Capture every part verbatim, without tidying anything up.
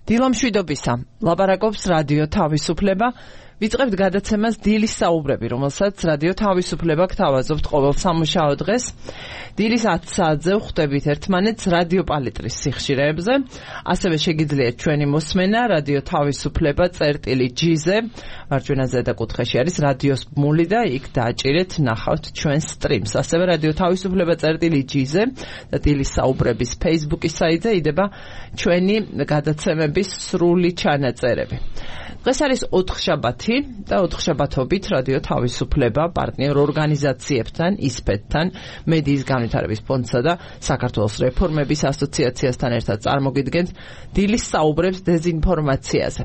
დილამშვიდობისა, ლაპარაკობს რადიო თავისუფლება. ვიწყებთ გადაცემას დილის საუბრები, რომელსაც რადიო თავისუფლება გთავაზობთ ყოველ სამუშაო დღეს. დილის ათი საათზე ვხვდებით ერთმანეთს რადიო პალიტრის სიხშირეებზე. ასევე შეგიძლიათ ჩვენი მოსმენა რადიო თავისუფლება წერტილი ჯი-ზე. მარჯვენა ზედა კუთხეში არის რადიოს ბმული და იქ დააჭირეთ, ნახავთ ჩვენ სტრიმს. ასევე რადიო თავისუფლება წერტილი ჯი-ზე და დილის საუბრების Facebook-ის საიტზე იდება ჩვენი გადაცემების სრული ჩანაწერები. დღეს არის ოთხშაბათი და ოთხშაბათობით რადიო თავისუფლება პარტნიორ ორგანიზაციებთან, ისპედთან, მედიის განვითარების ფონდსა და საქართველოს რეფორმების ასოციაციასთან ერთად წარმოგიდგენთ დილის საუბრებს დეზინფორმაციაზე.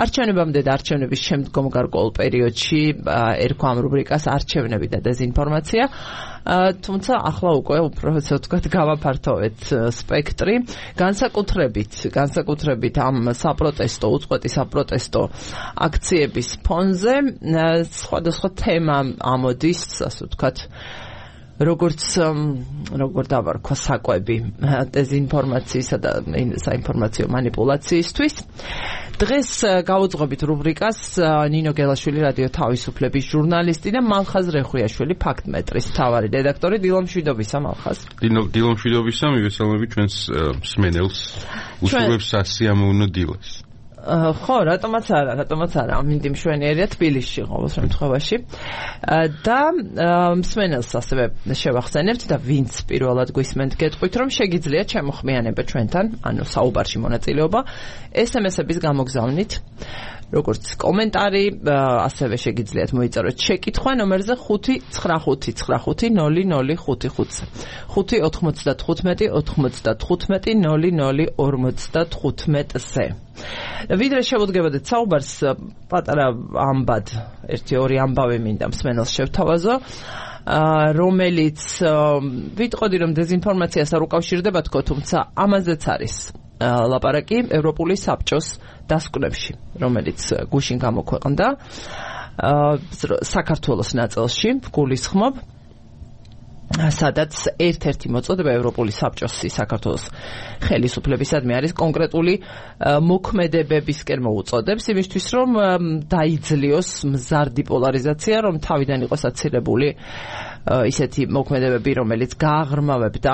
არჩევნებამდე და არჩევნების შემდგომ გარკვეულ პერიოდში ერქვა ამ რუბრიკას არჩევნები და დეზინფორმაცია. თუმცა ახლა უკვე უფრო ასე ვთქვათ გავაფართოვეთ სპექტრი, განსაკუთრებით, განსაკუთრებით ამ საპროტესტო, უწყვეტი საპროტესტო აქციების ფონზე სხვადასხვა თემა ამოდის, ასე ვთქვათ, როგორც როგორ დავარქვა საკვები დეზინფორმაციისა და საინფორმაციო მანიპულაციისთვის. დღეს გავუძღობთ რუბრიკას ნინო გელაშვილი რადიო თავისუფლების ჟურნალისტი და მალხაზ რეხვიაშვილი ფაქტმეტრის მთავარი რედაქტორი. დილამშვიდობისა მალხაზ. დილამშვიდობისა, მივესალმები ჩვენს მსმენელს, უსურვებს სასიამოვნო დილას. ხო, რატომაც არა, რატომაც არა, ამინდი მშვენიერია თბილისში ყოველ შემთხვევაში. და მსმენელს ასევე შევახსენებთ და ვინც პირველად გვისმენთ გეტყვით, რომ შეგიძლიათ შემოხმიანება ჩვენთან, ანუ საუბარში მონაწილეობა ეს ემ ესების გამოგზავნით. როგორც კომენტარი, ასევე შეგიძლიათ მოიწეროთ შეკითხვა ნომერზე ხუთი ცხრა ხუთი ცხრა ხუთი ნული ნული ხუთი ხუთზე. ხუთი ოთხმოცდათხუთმეტი ოთხმოცდათხუთმეტი ნული ნული ორმოცდათხუთმეტზე. ვიდრე შევუდგებოდეთ საუბარს, პატარა ამბად, ერთი ორი ამბავი მინდა მსმენელს შევთავაზო, რომელიც ვიტყოდი რომ დეზინფორმაციას არ უკავშირდება თქო, თუმცა ამაზეც არის ლაპარაკი ევროპული საბჭოს დასკვნებში, რომელიც გუშინ გამოქვეყნდა საქართველოს ნაწილში, გულისხმობ, სადაც ერთ-ერთი მოწოდება ევროპული საბჭოსი საქართველოს ხელისუფლებისადმი არის კონკრეტული მოქმედებებისკენ მოუწოდებს, იმისთვის რომ დაიძლიოს მზარდი პოლარიზაცია, რომ თავიდან იყოს აცილებული ისეთი მოქმედებები, რომელიც გააღრმავებდა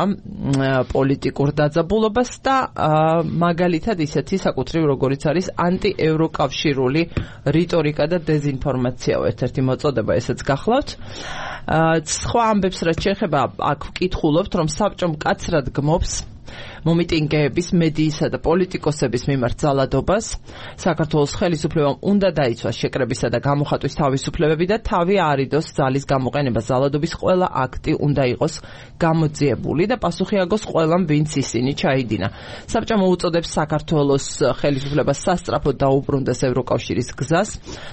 პოლიტიკურ დაძაბულობას და მაგალითად ისეთი საკუთრივ როგორიც არის ანტიევროკავშირული რიტორიკა და დეზინფორმაციაო ერთ-ერთი მოწოდება, ესეც გახლავთ. სხვა ამბებს რაც შეეხება, აქ ვკითხულობთ, რომ საბჭო მკაცრად გმობს მომიტინგეების, მედიისა და პოლიტიკოსების მიმართ ძალადობას. საქართველოს ხელისუფლებამ უნდა დაიცვას შეკრებისა და გამოხატვის თავისუფლებები და თავი არიდოს ძალის გამოყენება. ძალადობის ყველა აქტი უნდა იყოს გამოძიებული და პასუხი აგოს ყველამ, ვინც ისინი ჩაიდინა. საბჭო მოუწოდებს საქართველოს ხელისუფლებას სასწრაფოდ დაუბრუნდეს ევროკავშირის გზას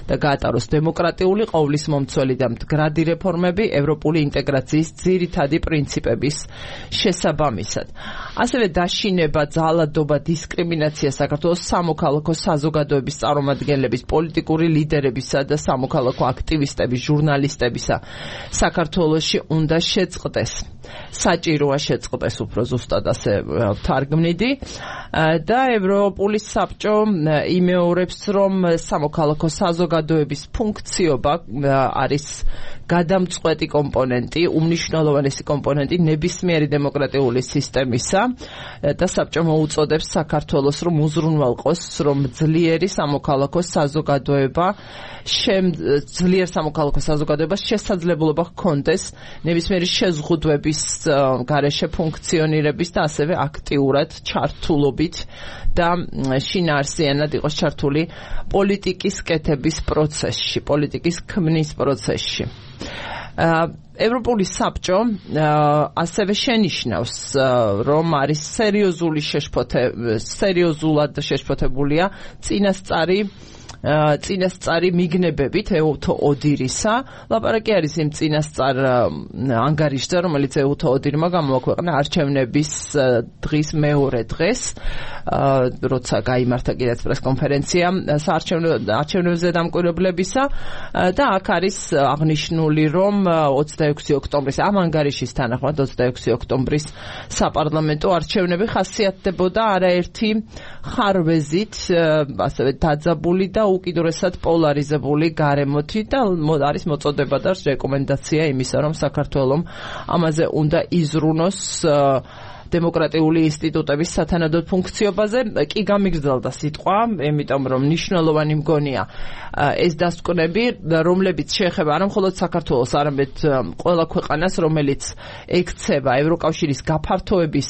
და გაატაროს დემოკრატიული, ყოვლისმომცველი და მდგრადი რეფორმები ევროპული ინტეგრაციის ძირითადი პრინციპების შესაბამისად. ასევე დაშინება, ძალადობა, დისკრიმინაცია საქართველოს სამოქალაქო საზოგადოების წარმომადგენლების, პოლიტიკური ლიდერებისა და სამოქალაქო აქტივისტების, ჟურნალისტებისა საქართველოში უნდა შეწყდეს. საჭიროა შეწყდეს, უფრო ზუსტად ასე ვთარგმნიდი. და ევროპული საბჭო იმეორებს, რომ სამოქალაქო საზოგადოების ფუნქციობა არის გადამწყვეტი კომპონენტი, უმნიშვნელოვანესი კომპონენტი ნებისმიერი დემოკრატიული სისტემისა და საბჭო მოუწოდებს საქართველოს, რომ უზრუნველყოს, რომ ძლიერი სამოქალაქო საზოგადოება ძლიერ სამოქალაქო საზოგადოებას შესაძლებლობა ჰქონდეს ნებისმიერი შეზღუდვების გარეშე ფუნქციონირების და ასევე აქტიურად ჩართულობით და შინაარსიანად იყოს ჩართული პოლიტიკის კეთების პროცესში, პოლიტიკის ქმნის პროცესში. ევროპული საბჭო ასევე შენიშნავს, რომ არის სერიოზული შეშფოთე, სერიოზულად შეშფოთებულია წინასწარი წინასწარი მიგნებებით ეუთო ოდირისა. ლაპარაკი არის იმ წინასწარ ანგარიშზე, რომელიც ეუთო ოდირმა გამოაქვეყნა არჩევნების დღის მეორე დღეს, როცა გაიმართა კიდეც პრესკონფერენცია არჩევნებზე დამკვირვებლებისა და აქ არის აღნიშნული, რომ ოცდაექვსი ოქტომბრის ამ ანგარიშის თანახმად ოცდაექვსი ოქტომბრის საპარლამენტო არჩევნები ხასიათდებოდა არაერთი ხარვეზით, ასევე დაძაბული და უკიდურესად პოლარიზებული გარემოთი და არის მოწოდება და რეკომენდაცია იმისა, რომ საქართველოს ამაზე უნდა იზრუნოს დემოკრატიული ინსტიტუტების სათანადო ფუნქციობაზე. კი გამიგრძელდა სიტყვა, იმიტომ რომ მნიშვნელოვანი მგონია ეს დასკვნები, რომლებიც შეეხება არა მხოლოდ საქართველოს, არამედ ყველა ქვეყანას, რომელიც ექცევა ევროკავშირის გაფართოების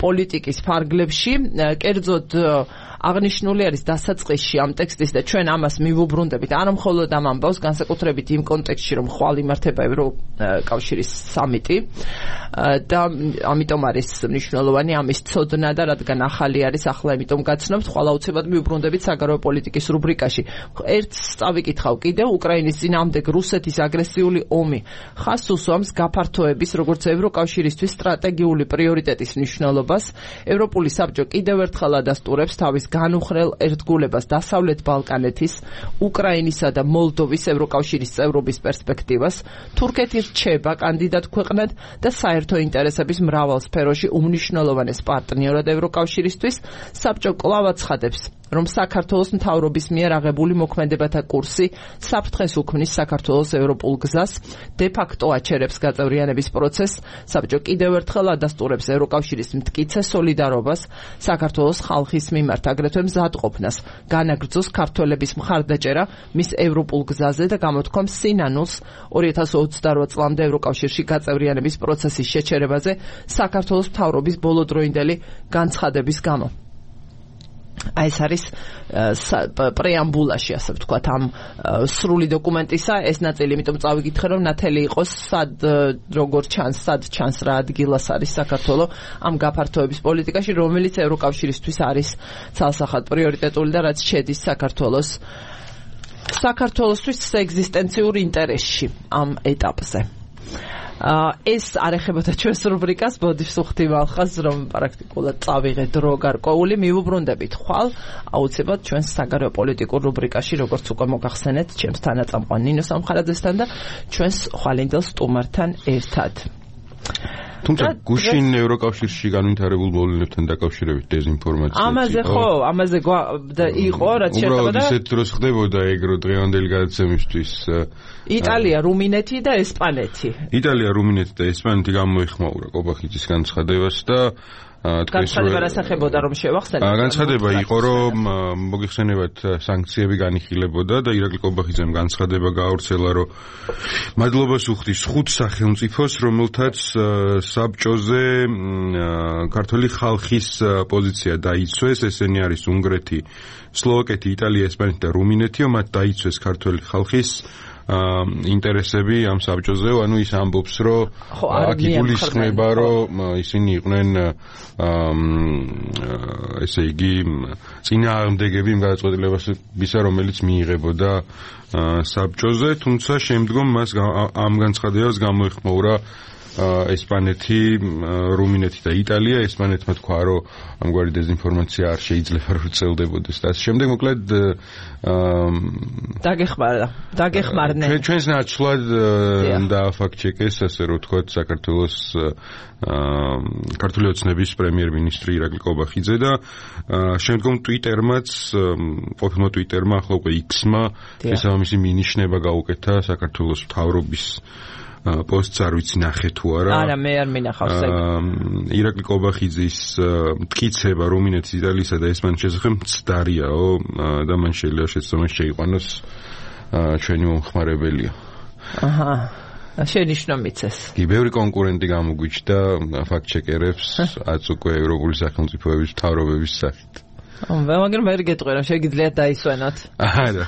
პოლიტიკის ფარგლებში. კერძოდ აღნიშნული არის დასაწყისში ამ ტექსტის და ჩვენ ამას მივუბრუნდებით არა მხოლოდ ამ ამბავს, განსაკუთრებით იმ კონტექსტში, რომ ხვალ იმართება ევროკავშირის სამიტი და ამიტომ არის მნიშვნელოვანი ამის ცოდნა და რადგან ახალი არის, ახლა იმიტომ გაცნობთ, ხვალ აუცილებლად მივუბრუნდებით საგარეო პოლიტიკის რუბრიკაში. ერთს წავიკითხავ კიდევ, უკრაინის წინააღმდეგ რუსეთის აგრესიული ომი ხაზს უსვამს გაფართოების, როგორც ევროკავშირისთვის სტრატეგიული პრიორიტეტის მნიშვნელობას. ევროპული საბჭო კიდევ ერთხელ ადასტურებს თავის განუხრელ ერთგულებას დასავლეთ ბალკანეთის, უკრაინისა და მოლდოვის ევროკავშირის წევრობის პერსპექტივას. თურქეთი რჩება კანდიდატ ქვეყნად და საერთო ინტერესების მრავალ სფეროში უმნიშვნელოვანეს პარტნიორად ევროკავშირისთვის. საბჭო კვლავ აცხადებს, რომ საქართველოს მთავრობის მიერ აღებული მოქმედებათა კურსი საფრთხეს უქმნის საქართველოს ევროპულ გზას, დე-ფაქტო აჩერებს გაწევრიანების პროცესს. საბჭო კიდევ ერთხელ ადასტურებს ევროკავშირის მტკიცე სოლიდარობას საქართველოს ხალხის მიმართ, აგრეთვე მზადყოფნას განაგრძოს ქართველების მხარდაჭერა მის ევროპულ გზაზე და გამოთქვამს სინანულს ორი ათას ოცდაოთხ წლამდე ევროკავშირში გაწევრიანების პროცესის შეჩერებაზე საქართველოს მთავრობის ბოლოდროინდელი განცხადების გამო. აი ეს არის პრეამბულაში, ასე ვთქვათ, ამ სრული დოკუმენტისა ეს ნაწილი, იმიტომ წავიკითხე, რომ ნათელი იყოს სად როგორ ჩანს, სად ჩანს რა ადგილას არის საქართველოს ამ გაფართოების პოლიტიკაში, რომელიც ევროკავშირისთვის არის ცალსახად პრიორიტეტული და რაც შედის საქართველოს საქართველოსთვის ეგზისტენციურ ინტერესში ამ ეტაპზე. ეს არ ეხებოდა ჩვენს რუბრიკას, ბოდიშ სუხთი მალხას, რომ პრაქტიკულად წავიღე დრო გარკვეული, მივუბრუნდებით ხვალ აუცილებლად ჩვენს საგარეო პოლიტიკურ რუბრიკაში, როგორც უკვე მოგახსენეთ, ჩემს თანაწამყვან ნინო სამხარაძესთან და ჩვენს ხვალინდელ სტუმართან ერთად. თუმცა გუშინ ევროკავშირში განვითარებულ მოვლენებთან დაკავშირებით დეзинფორმაცია. ამაზე ხო, ამაზე იყო, რაც შეეხება და ისეთ დროს ხდებოდა ეგრო დღევანდელი გადაცემისთვის. იტალია, რუმინეთი და ესპანეთი. იტალია, რუმინეთი და ესპანეთი გამოიხმაურა კობახიძის განცხადებას და განცხადება რასახებოდა, რომ შევახსენოთ? განცხადება იყო, რომ მოგიხსენებათ სანქციები განიხილებოდა და ირაკლი კობახიძემ განცხადება გაავრცელა, რომ მადლობას უხდის ხუთ სახელმწიფოს, რომელთაც საბჭოზე ქართული ხალხის პოზიცია დაიცვეს, ესენი არის უნგრეთი, სლოვაკეთი, იტალია, ესპანეთი და რუმინეთი, მათ დაიცვეს ქართული ხალხის ინტერესები ამ საბჭოზე, ანუ ის ამბობს, რომ აქ იგულისხმება, რომ ისინი იყვნენ ესე იგი წინააღმდეგები იმ გადაწყვეტილებისა, რომელიც მიიღებოდა საბჭოზე, თუმცა შემდგომ მას ამ განცხადებას გამოეხმაურა ესპანეთი, რუმინეთი და იტალია. ესპანეთმა თქვა, რომ ამგვარი დეзинფორმაცია არ შეიძლება რომ წელდებოდეს და ასე შემდეგ. მოკლედ დაგეხმარა, დაგეხმარნენ. ჩვენს ნაცვლად და ფაქტ-ჩეკეს, ასე რომ თქვა, საქართველოს ქართული ოცნების პრემიერ-მინისტრი ირაკლი კობახიძე და შემდგომ ტვიტერმაც, ყოფილმა ტვიტერმა, ახლა უკვე იქსმა შესაბამისი მინიშნება გაუკეთა საქართველოს მთავრობის პოსტს, არ ვიცი ნახე თუ არა. არა, მე არ მინახავს ეგ. ირაკლი კობახიძის მტკიცება რუმინეთის, იტალიისა და ესპანეთის შესახებ მცდარიაო და მან შეიძლება შეცდომას შეიყვანოს ჩვენი მომხმარებელია. აჰა. შენიშნა მიცეს. კი, ბევრი კონკურენტი გამოგვიჩნდა ფაქტ-ჩეკერებს, აც უკვე ევროპული სახელმწიფოების მთავრობების სახით. მაგრამ მე გეტყვი რომ შეგიძლიათ დაისვენოთ. არა,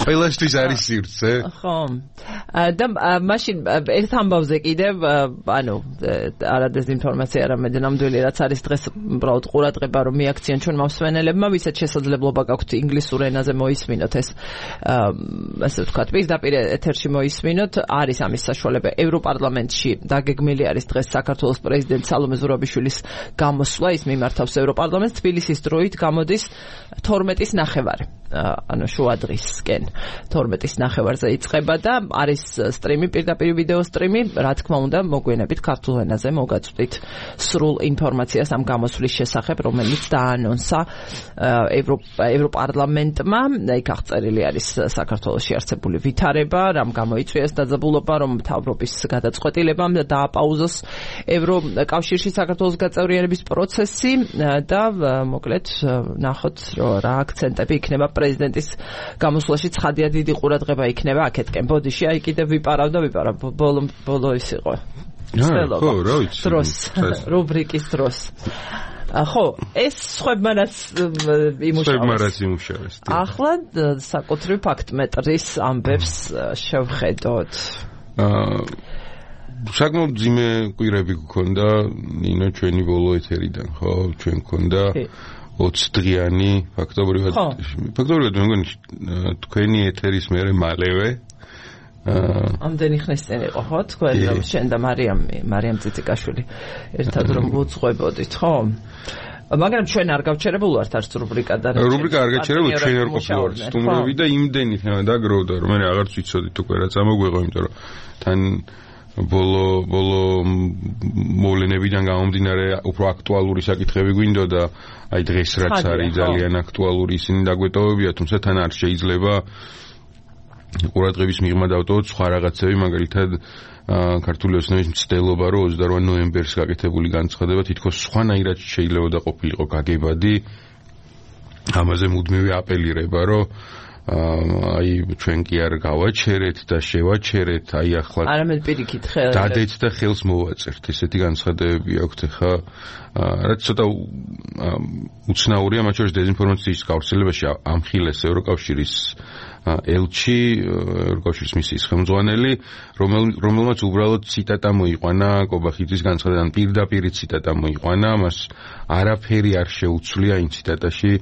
ყველასთვის არის სივრცე. ხო. და მაშინ ერთ ამბავზე კიდევ ანუ არა დეზინფორმაცია არამედ ნამდვილი რაც არის დღეს უბრალოდ ყურადღება რომ მიაქციან ჩვენ მომსვენელებმა ვისაც შესაძლებლობა გაქვთ ინგლისურ ენაზე მოისმინოთ ეს ასე ვთქვათ პირდაპირ ეთერში მოისმინოთ არის ამის საშუალება ევროპარლამენტში დაგეგმილი არის დღეს საქართველოს პრეზიდენტ სალომე ზურაბიშვილის გამოსვლა ის მიმართავს ევროპარლამენტს თბილისის დროით გამოდის თორმეტის ნახევარი ანუ შუა დღისკენ თორმეტის ნახევარზე იწყება და არის სტრიმი პირდაპირ ვიდეო სტრიმი რა თქმა უნდა მოგვიანებით ქართულ ენაზე მოგაწვდით სრულ ინფორმაციას ამ გამოსვლის შესახებ რომელიც დაანონსა ევროპარლამენტმა იქ აღწერილი არის საქართველოში არსებული ვითარება რამ გამოიწვიეს დაძაბულობა რომ მთავრობის გადაწყვეტილებამ დააპაუზოს ევროკავშირში საქართველოს გაწევრიანების პროცესი და მოკლედ ნახოთ რა აქცენტები იქნება პრეზიდენტის გამოსვლაში ცხადია დიდი ყურადღება იქნება აქეთკენ ბოდიში აი კიდევ ვიპარავ და ვიპარავ ბოლო ბოლო ის იყო ხო რა ვიცი დროს რუბრიკის დროს ხო ეს სხვებმა რაც იმუშავეს ახლა საკუთრივ ფაქტმეტრის ამბებს შევხედოთ საკმაოდ ძიმე კვირები გქონდა ნინო ჩვენი ბოლო ეთერიდან ხო ჩვენ გქონდა ოცი დღიანი ფაქტობრივად ფაქტობრივად მე მგონი თქვენი ეთერის მერე მალევე ამდენი ხნის წინ იყო ხო თქვენ რომ შენ და მარიამ მარიამ ციციკაშვილი ერთად რომ ვუძღვებოდით ხო მაგრამ ჩვენ არ გავჩერებულ ვართ არც რუბრიკა და რუბრიკა არ გაჩერებულ ჩვენ არ ყოფილვართ სტუმრები და იმდენი თემა დაგროვდა რომ მე აღარც ვიცოდით უკვე რა წამოგვეღო იმიტომ რომ თან ბოლო ბოლო მოვლენებიდან გამომდინარე უფრო აქტუალური საკითხები გვინდოდა აი დღეს რაც არის ძალიან აქტუალური ისინი დაგვეტოვებია თუმცა თან არ შეიძლება ყურადღების მიღმა დავტოვოთ სხვა რაღაცები მაგალითად ქართული ოცნების მცდელობა რომ ოცდაორი ნოემბერს გაკეთებული განცხადება თითქოს სხვანაირად შეიძლებოდა ყოფილიყო გაგებადი ამაზე მუდმივი აპელირება რომ აი ჩვენ კი არ გავაჩერეთ და შევაჩერეთ აი ახლა არამედ პირიქით ხელ დადეთ და ხელს მოვაწერთ ესეთი განცხადებები აქვთ ხა რაც ცოტა უცნაურია მათ შორის დეზინფორმაციის გავრცელებაში ამხილეს ევროკავშირის ელჩი ევროკავშირის მისიის ხელმძღვანელი რომელმაც უბრალოდ ციტატა მოიყვანა კობახიძის განცხადებიდან პირდაპირ ციტატა მოიყვანა მას არაფერი არ შეუცვლია იმ ციტატაში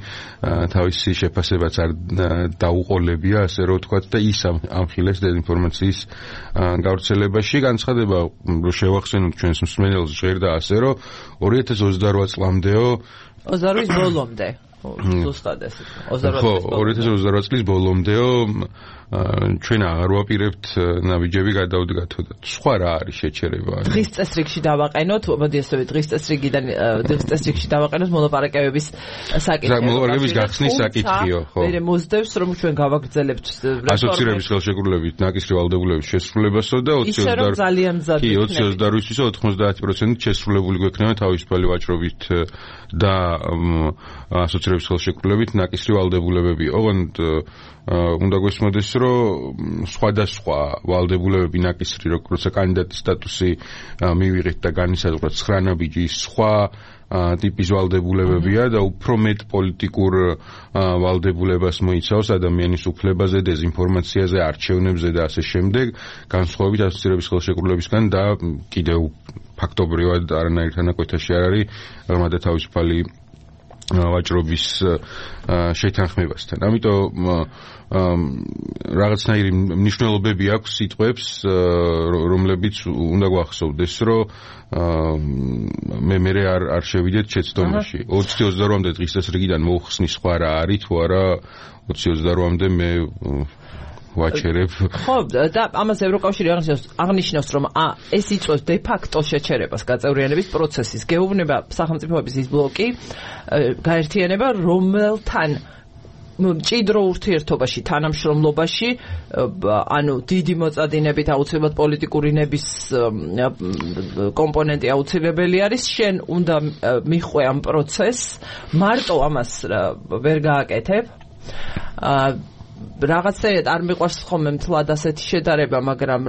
თავისი შეფასებაც არ დაუყოლებია ასე რომ ვთქვათ და ის ამხილეს დეზინფორმაციის გავრცელებაში განცხადება რომ შევახსენოთ ჩვენს მსმენელს ჟღერდა ასე რომ ორი ათას ოცდარვა წლამდეო ოცდარვის ბოლომდე ზუსტად ესე ხო ორი ათას ოცდარვა წლის ბოლომდეო ჩვენ აღარ ვაპირებთ ნაბიჯები გადავდგათო და სხვა რა არის შეჩერება დღის წესრიგში დავაყენოთ მოდი ასე დღის წესრიგიდან დღის წესრიგში დავაყენოთ მოლაპარაკებების საკითხი მოლაპარაკებების გახსნის საკითხიო ხო მე მოსდევს რომ ჩვენ გავაგრძელებთ ასოცირების ხელშეკრულებით ნაკისრი ვალდებულების შესრულებასო და ოცი ოცდარვის ოთხმოცდაათი პროცენტით შესრულებული გვექნება თავისუფალი ვაჭრობით და ასოცირების ხელშეკრულებით ნაკისრი ვალდებულებები ოღონდ უნდა გვესმოდეს რომ სხვადასხვა ვალდებულებები ნაკისრი როგორც კანდიდატის სტატუსი მივიღეთ და განისაზღვრა ცხრა ნაბიჯის სხვა ტიპის ვალდებულებებია და უფრო მეტ პოლიტიკურ ვალდებულებას მოიცავს ადამიანის უფლებაზე, დეზინფორმაციაზე, არჩევნებზე და ასე შემდეგ, განსხვავებით ასოცირების ხელშეკრულებისგან და კიდევ ფაქტობრივად არანაირ თანაკვეთაში არ არის ღრმა და თავისუფალი ვაჭრობის შეთანხმებასთან. ამიტომ რაღაცნაირი მნიშვნელობები აქვს სიტყვებს, რომლებიც უნდა გვახსოვდეს, რომ მე მე არ არ შევიდეთ შეცდომაში. ოცი ოცდარვამდე დღის წესრიგიდან მოხსნის სხვა რა არის თუ არა ოცი ოცდარვამდე მე ვაჩერებ. ხო, და ამას ევროკავშირი აღნიშნავს, რომ ეს იწვევს დე ფაქტო შეჩერებას გაწევრიანების პროცესის. გეუბნება სახელმწიფოების ის ბლოკი გაერთიანება, რომელთან მჭიდრო ურთიერთობაში, თანამშრომლობაში, ანუ დიდი მოწადინებით აუცილებლად პოლიტიკური ნების კომპონენტი აუცილებელი არის, შენ უნდა მიხვე ამ პროცესს, მარტო ამას ვერ გააკეთებ. რაღაცნაირად არ მიყვარს ხოლმე მთლად ასეთი შედარება, მაგრამ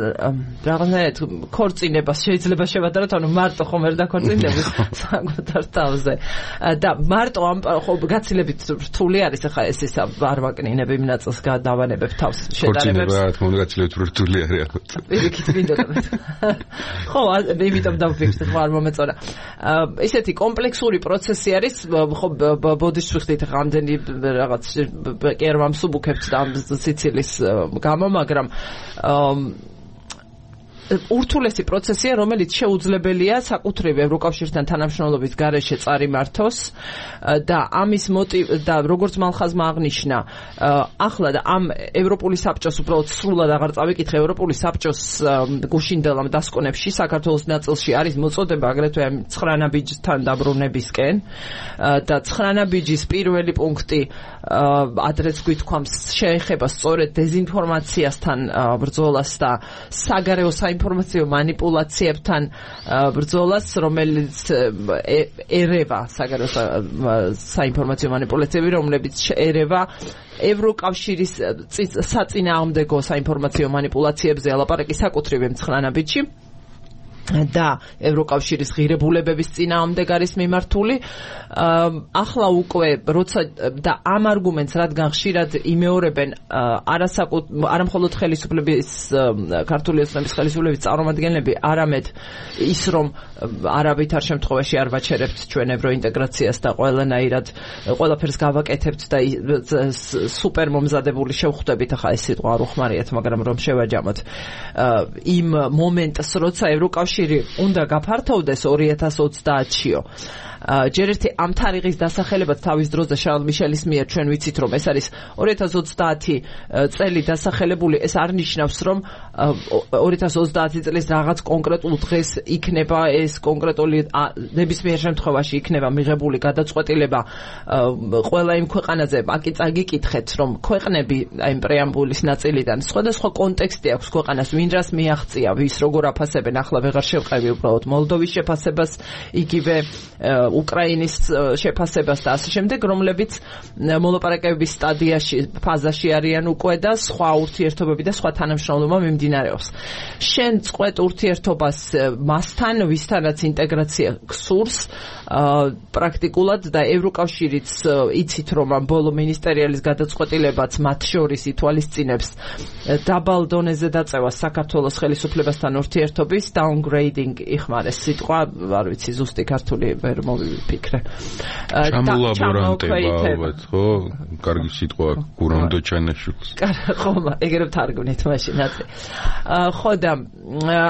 რაღაცნაირად ქორწინებას შეიძლება შევადაროთ, ანუ მარტო ხომ ვერ დაქორწინდებით საკუთარ თავზე. და მარტო ამ ხო გაცილებით რთული არის ახლა ეს ის არ ვაკნინებ იმ ნაწილს გადავანებებ თავს შედარებებს. ქორწინება რა თქმა უნდა გაცილებით რთული არის ალბათ. პირიქით მინდოდა. ხო, იმიტომ დავფიქრდი ხო არ მომეწონა. ესეთი კომპლექსური პროცესი არის, ხო ბოდიშს ვიხდით ახლა ამდენი რაღაც კი არ ვამსუბუქებთ და ამ სიცილის გამო, მაგრამ ურთულესი პროცესია, რომელიც შეუძლებელია საკუთრივ ევროკავშირთან თანამშრომლობის გარეშე წარიმართოს და ამის მოტივი და როგორც მალხაზმა აღნიშნა, ახლა და ამ ევროპული საბჭოს უბრალოდ სრულად აღარ წავიკითხე, ევროპული საბჭოს გუშინდელ ამ დასკვნებში საქართველოს ნაწილში არის მოწოდება აგრეთვე ცხრა ნაბიჯთან დაბრუნებისკენ და ცხრა ნაბიჯის პირველი პუნქტი ადრეც გვითქვამს შეეხება სწორედ დეზინფორმაციასთან ბრძოლას და საგარეო საინფორმაციო მანიპულაციებთან ბრძოლას, რომელიც ერევა საგარეო საინფორმაციო მანიპულაციები, რომლებიც ერევა ევროკავშირის საწინააღმდეგო საინფორმაციო მანიპულაციებზე ალაპარაკი საკუთრივ ცხრა ნაბიჯში და ევროკავშირის ღირებულებების წინააღმდეგ არის მიმართული. ახლა უკვე როცა და ამ არგუმენტს რადგან ხშირად იმეორებენ არასაკუთ არამხოლოდ ხელისუფლების ქართული ოცნების ხელისუფლების წარმომადგენლები, არამედ ის რომ არავითარ შემთხვევაში არ ვაჩერებთ ჩვენ ევროინტეგრაციას და ყველანაირად ყველაფერს გავაკეთებთ და სუპერ მომზადებული შევხვდებით, ახლა ეს სიტყვა არ უხმარიათ, მაგრამ რომ შევაჯამოთ იმ მომენტს, როცა ევროკავშირი უნდა გაფართოვდეს ორი ათას ოცდაათშიო. ჯერ ერთი ამ თარიღის დასახელებად თავის დროზე შარლ მიშელის მიერ ჩვენ ვიცით, რომ ეს არის ორი ათას ოცდაათი წელი დასახელებული, ეს არ ნიშნავს, რომ ორი ათას ოცდაათი წლის რაღაც კონკრეტულ დღეს იქნება ეს კონკრეტული ნებისმიერ შემთხვევაში იქნება მიღებული გადაწყვეტილება ყველა იმ ქვეყანაზე. აკი წაგიკითხეთ, რომ ქვეყნები აი პრეამბულის ნაწილიდან სხვადასხვა კონტექსტი აქვს ქვეყანას, ვინ რას მიაღწია, ვის როგორ აფასებენ, ახლა ვეღარ შევყევი უბრალოდ მოლდოვის შეფასებას, იგივე უკრაინის შეფასებას და ასე შემდეგ, რომლებიც მოლაპარაკებების სტადიაში, ფაზაში არიან უკვე და სხვა ურთიერთობები და სხვა თანამშრომლობა მიმდინარეობს. შენ წყვეტ ურთიერთობას მასთან, ვისთანაც ინტეგრაცია გსურს, პრაქტიკულად და ევროკავშირიც იცით, რომ ამ ბოლო მინისტერიალის გადაწყვეტილებაც მათ შორის ითვალისწინებს დაბალ დონეზე დაწევას საქართველოს ხელისუფლებასთან ურთიერთობის downgrading იხმარეს სიტყვა, არ ვიცი ზუსტი ქართული ვერ მოვიფიქრე. ჩამოლაბორანტება ალბათ, ხო? კარგი სიტყვა გურამდო ჩანაშულს. ხო, ეგრე ვთარგმნით მაშინ აწი. ხო და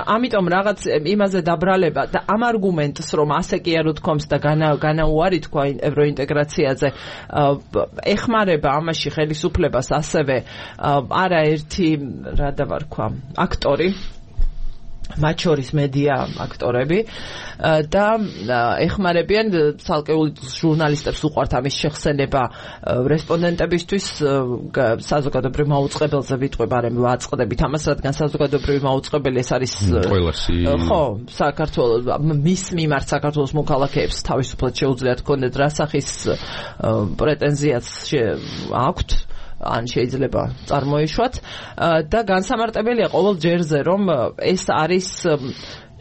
ამიტომ რაღაც იმაზე დაბრალება და ამ არგუმენტს რომ ასე კი არ უთქვამს და განაუარი თქვა ევროინტეგრაციაზე, ეხმარება ამაში ხელისუფლებას ასევე არაერთი რა დავარქვა აქტორი, მათ შორის მედია აქტორები და ეხმარებიან ცალკეულ ჟურნალისტებს უყვართ ამის შეხსენება რესპონდენტებისთვის საზოგადოებრივ მაუწყებელზე ვიტყვებ, არ ვაწყდებით ამას, რადგან საზოგადოებრივი მაუწყებელი ეს არის ყველასი ხო საქართველოს მის მიმართ საქართველოს მოქალაქეებს თავისუფლად შეუძლიათ ჰქონდეთ რა სახის პრეტენზიაც აქვთ ან შეიძლება წარმოიშვათ და განსამარტებელია ყოველ ჯერზე, რომ ეს არის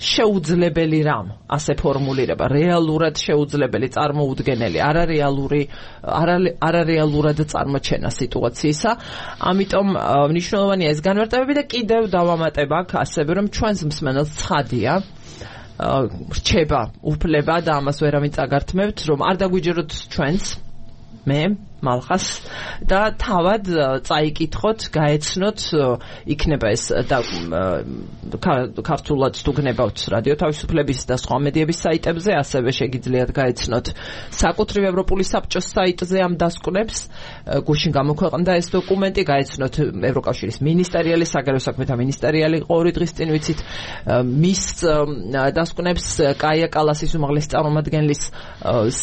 შეუძლებელი რამ, ასე ფორმულირება, რეალურად შეუძლებელი, წარმოუდგენელი, არარეალური, არარეალურად წარმოჩენა სიტუაციისა. ამიტომ მნიშვნელოვანია ეს განმარტებები და კიდევ დავამატებ აქ ასევე, რომ ჩვენს მსმენელს ცხადია რჩება უფლება და ამას ვერავინ წაგართმევთ, რომ არ დაგვიჯეროთ ჩვენს მე მალხას და თავად წაიკითხოთ, გაეცნოთ, იქნება ეს და ქართულად თუ გნებავთ რადიო თავისუფლების და სხვა მედიების საიტებზე, ასევე შეგიძლიათ გაეცნოთ საკუთრივ ევროპული საბჭოს საიტზე ამ დასკვნებს, გუშინ გამოქვეყნდა ეს დოკუმენტი, გაეცნოთ ევროკავშირის მინისტერიალის, საგარეო საქმეთა მინისტერიალი იყო ორი დღის წინ ვიცით, მის დასკვნებს კაია კალასის უმაღლესი წარმომადგენლის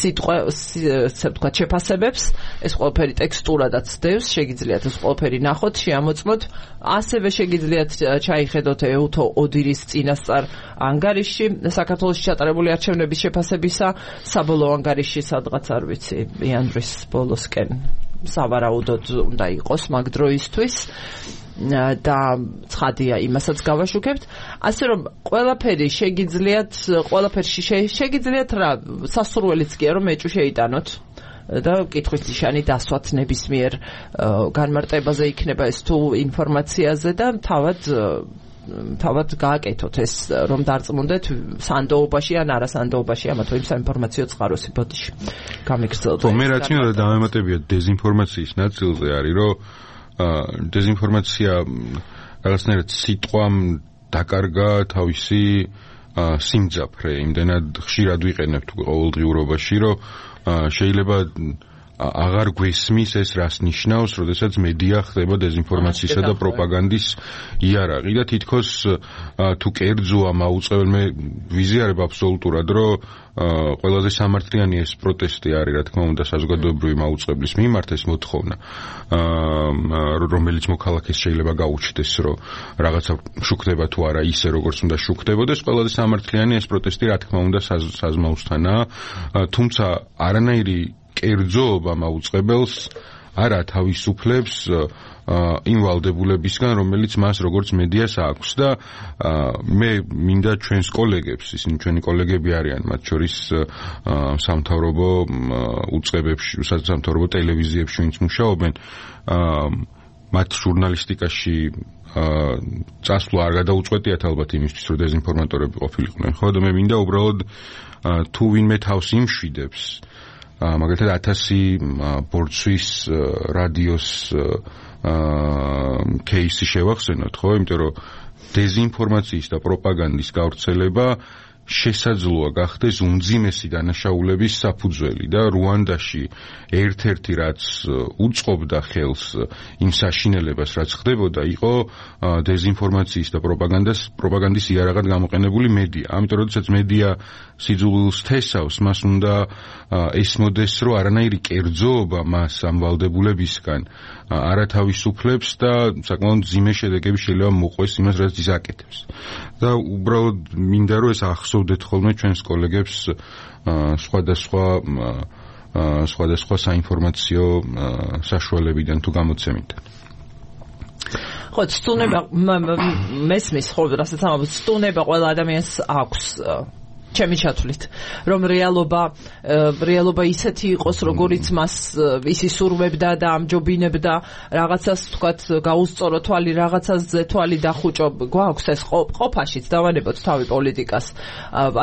სიტყვა, ასე ვთქვათ, შეფასებებს, ეს ყველაფერი ტექსტურადაც დევს, შეგიძლიათ ეს ყველაფერი ნახოთ, შეამოწმოთ, ასევე შეგიძლიათ ჩაიხედოთ ეუთო ოდირის წინასწარ ანგარიში საქართველოში ჩატარებული არჩევნების შეფასებისა, საბოლოო ანგარიში სადღაც არ ვიცი, იანვრის ბოლოსკენ სავარაუდოდ უნდა იყოს მაგ დროისთვის და ცხადია იმასაც გავაშუქებთ ასე რომ ყველაფერი შეგიძლიათ ყველაფერში შეგიძლიათ რა სასურველიც კი რომ ეჭვი შეიტანოთ და კითხვის ნიშანი დასვათ ნებისმიერ განმარტებაზე იქნება ეს თუ ინფორმაციაზე და თავად თავად გააკეთოთ ეს რომ დარწმუნდეთ სანდოობაში ან არასანდოობაში ამა თუ იმ საინფორმაციო წყაროსი ბოდიში გამიგრძელდა ხო მე რაც მინდა დამემატებია დეზინფორმაციის ნაწილზე არის რომ დეზინფორმაცია რაღაცნაირად სიტყვამ დაკარგა თავისი სიმძაფრე იმდენად ხშირად ვიყენებთ ყოველდღიურობაში რომ შეიძლება აღარ გვესმის ეს რას ნიშნავს, როდესაც მედია ხდება დეზინფორმაციისა და პროპაგანდის იარაღი და თითქოს თუ კერძოა მაუწყებელ მე ვიზიარებ აბსოლუტურად რომ ყველაზე სამართლიანი ეს პროტესტი არის რა თქმა უნდა საზოგადოებრივი მაუწყებლის მიმართ ეს მოთხოვნა რომელიც მოქალაქეს შეიძლება გაუჩნდეს რომ რაღაცა შუქდება თუ არა ისე როგორც უნდა შუქდებოდეს ყველაზე სამართლიანი ეს პროტესტი რა თქმა უნდა საზმაუსთანაა თუმცა არანაირი კერძოობა მაუწყებელს არა თავისუფლებს იმ ვალდებულებისგან რომელიც მას როგორც მედიას აქვს და მე მინდა ჩვენს კოლეგებს ისინი ჩვენი კოლეგები არიან მათ შორის სამთავრობო უწყებებში სამთავრობო ტელევიზიებში ვინც მუშაობენ მათ ჟურნალისტიკაში წასვლა არ გადაუწყვეტიათ ალბათ იმისთვის რომ დეზინფორმატორები ყოფილიყვნენ ხო და მე მინდა უბრალოდ თუ ვინმე თავს იმშვიდებს მაგალითად ათასი ბორცვის რადიოს кейსი შევახსენოთ, ხო? იმიტომ რომ დეზინფორმაციის და პროპაგანდის გავრცელება შესაძლოა გახდეს უმძიმესი დანაშაულების საფუძველი და რუანდაში ერთ-ერთი რაც უწყობდა ხელს იმ საშინელებას რაც ხდებოდა იყო დეზინფორმაციის და პროპაგანდას პროპაგანდის იარაღად გამოყენებული მედია. ამიტომ როდესაც მედია სიძულვილს თესავს, მას უნდა ესმოდეს, რომ არანაირი კერძოობა მას ამ ვალდებულებისგან არათავისუფლებს და საკმაოდ მძიმე შედეგები შეიძლება მოყვეს იმას, რაც ის აკეთებს. და უბრალოდ მინდა რომ ეს ახსოვდეთ ხოლმე ჩვენს კოლეგებს სხვადასხვა სხვადასხვა საინფორმაციო საშუალებიდან თუ გამოცემიდან. ხო, სტუნება მესმის ხო, რასაც ამბობთ, სტუნება ყველა ადამიანს აქვს ჩემი ჩათვლით, რომ რეალობა რეალობა ისეთი იყოს, როგორიც მას ისი სურვებდა და ამჯობინებდა, რაღაცას თქვათ გაუსწორო თვალი, რაღაცაზე თვალი დახუჭო, გვაქვს ეს ყოფაშიც დავანებოთ თავი პოლიტიკას,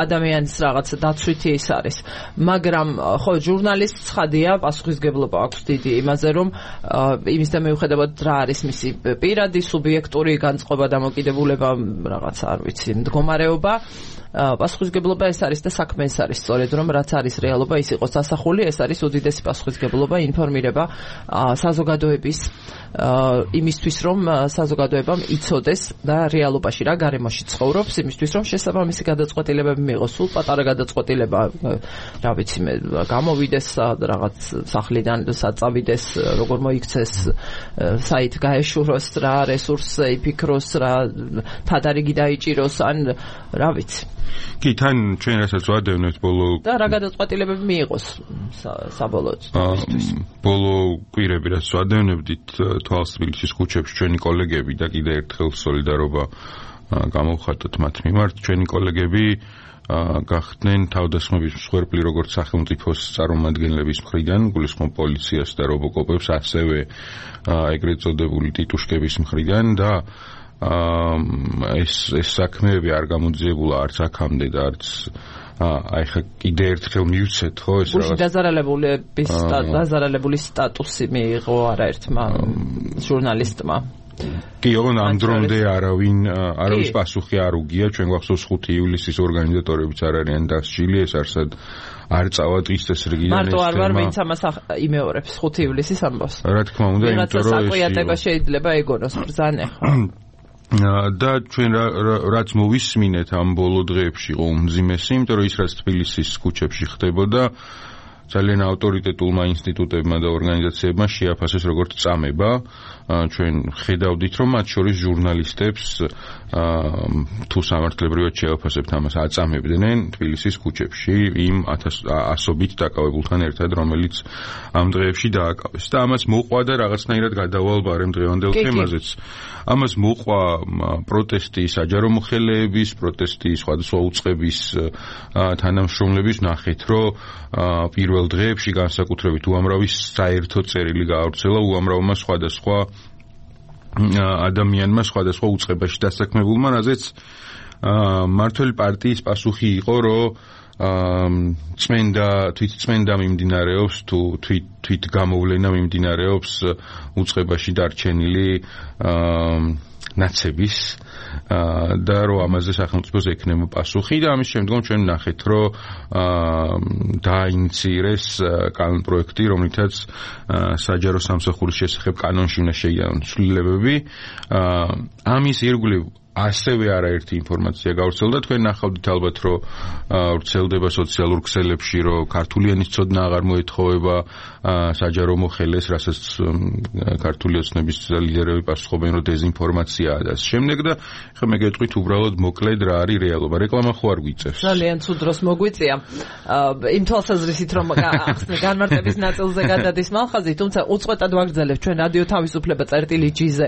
ადამიანის რაღაც დაცვითი ის არის. მაგრამ ხო, ჟურნალისტს ცხადია, პასუხისგებლობა აქვს დიდი იმაზე, რომ იმის და მიუხედავად რა არის მისი პირადი, სუბიექტური განწყობა, დამოკიდებულება, რაღაც არ ვიცი, მდგომარეობა პასუხისგებლობა ეს არის და საქმე ეს არის სწორედ რომ რაც არის რეალობა ის იყოს დასახული ეს არის უდიდესი პასუხისგებლობა ინფორმირება საზოგადოების იმისთვის რომ საზოგადოებამ იცოდეს და რეალობაში რა გარემოში ცხოვრობს იმისთვის რომ შესაბამისი გადაწყვეტილებები მიიღოს სულ პატარა გადაწყვეტილება რა ვიცი მე გამოვიდეს რაღაც სახლიდან საწავიდეს როგორ მოიქცეს საით გაეშუროს რა რესურსი იფიქროს რა თადარიგი დაიჭიროს ან რა ვიცი კი თან ჩვენ რასაც ვადევნებთ ბოლო და რა გადაწყვეტილებები მიიღოს საბოლოოდ ბოლო კვირები რაც ვადევნებდით თვალს თბილისის ქუჩებში ჩვენი კოლეგები და კიდე ერთხელ სოლიდარობა გამოვხატოთ მათ მიმართ ჩვენი კოლეგები გახდნენ თავდასხმების მსხვერპლი როგორც სახელმწიფოს წარმომადგენლების მხრიდან გულისხმობ პოლიციას და რობოკოპებს ასევე ეგრეთ წოდებული ტიტუშკების მხრიდან და ეს ეს საქმეები არ გამოძიებულა არც აქამდე და არც აი ხა კიდე ერთხელ მივცეთ ხო ეს რაღაც დაზარალებულების დაზარალებული სტატუსი მიიღო არაერთმა ჟურნალისტმა კი ოღონდ ამ დრომდე არავინ არავის პასუხი არ უგია ჩვენ გვახსოვს ხუთი ივლისის ორგანიზატორებიც არ არიან დასჯილი ეს არსად არ წავა დღის წესრიგიდან ეს მარტო არ ვარ ვინც ამას იმეორებს ხუთი ივლისის ამბავს რა თქმა უნდა იმიტომ რომ საკვიატება შეიძლება ეგონოს ბრძანე ხო და ჩვენ რაც მოვისმინეთ ამ ბოლო დღეებში იყო უმძიმესი, იმიტომ რომ ის რაც თბილისის ქუჩებში ხდებოდა, ძალიან ავტორიტეტულმა ინსტიტუტებმა და ორგანიზაციებმა შეაფასეს როგორც წამება. ჩვენ ხედავდით, რომ მათ შორის ჟურნალისტებს თუ სამართლებრივად შეაფასებთ ამას აწამებდნენ თბილისის ქუჩებში იმ ასობით დაკავებულთან ერთად, რომელიც ამ დღეებში დააკავეს. და ამას მოყვა და რაღაცნაირად გადავალ ბარემ დღევანდელ თემაზეც. ამას მოყვა პროტესტი საჯარო მოხელეების, პროტესტი სხვადასხვა უწყების თანამშრომლების, ნახეთ, რომ პირველ დღეებში განსაკუთრებით უამრავი საერთო წერილი გაავრცელა უამრავმა სხვადასხვა ადამიანმა სხვადასხვა უწყებაში დასაქმებულმა, რაზეც მმართველი პარტიის პასუხი იყო, რომ წმენდა თვით წმენდა მიმდინარეობს თუ თვით თვით გამოვლენა მიმდინარეობს უწყებაში დარჩენილი ნაცების და რომ ამაზე სახელმწიფოს ექნება პასუხი და ამის შემდგომ ჩვენ ნახეთ, რომ დაინიცირეს კანონპროექტი, რომლითაც საჯარო სამსახურის შესახებ კანონში უნდა შეიარონ ცვლილებები. ამის ირგვლივ ასევე არაერთი ინფორმაცია გავრცელდა. თქვენ ნახავდით ალბათ, რომ ვრცელდება სოციალურ ქსელებში, რომ ქართული ენის ცოდნა აღარ მოეთხოვება საჯარო მოხელეს, რასაც ქართული ოცნების ლიდერები პასუხობენ, რომ დეზინფორმაციაა და შემდეგ და ხა მე გეტყვით უბრალოდ მოკლედ რა არის რეალობა. რეკლამა ხო არ გვიწევს. ძალიან ცუდ დროს მოგვიწია. იმ თვალსაზრისით, რომ განმარტების ნაწილზე გადადის მალხაზი, თუმცა უწყვეტად ვაგრძელებთ ჩვენ რადიო თავისუფლება წერტილი ჯიზე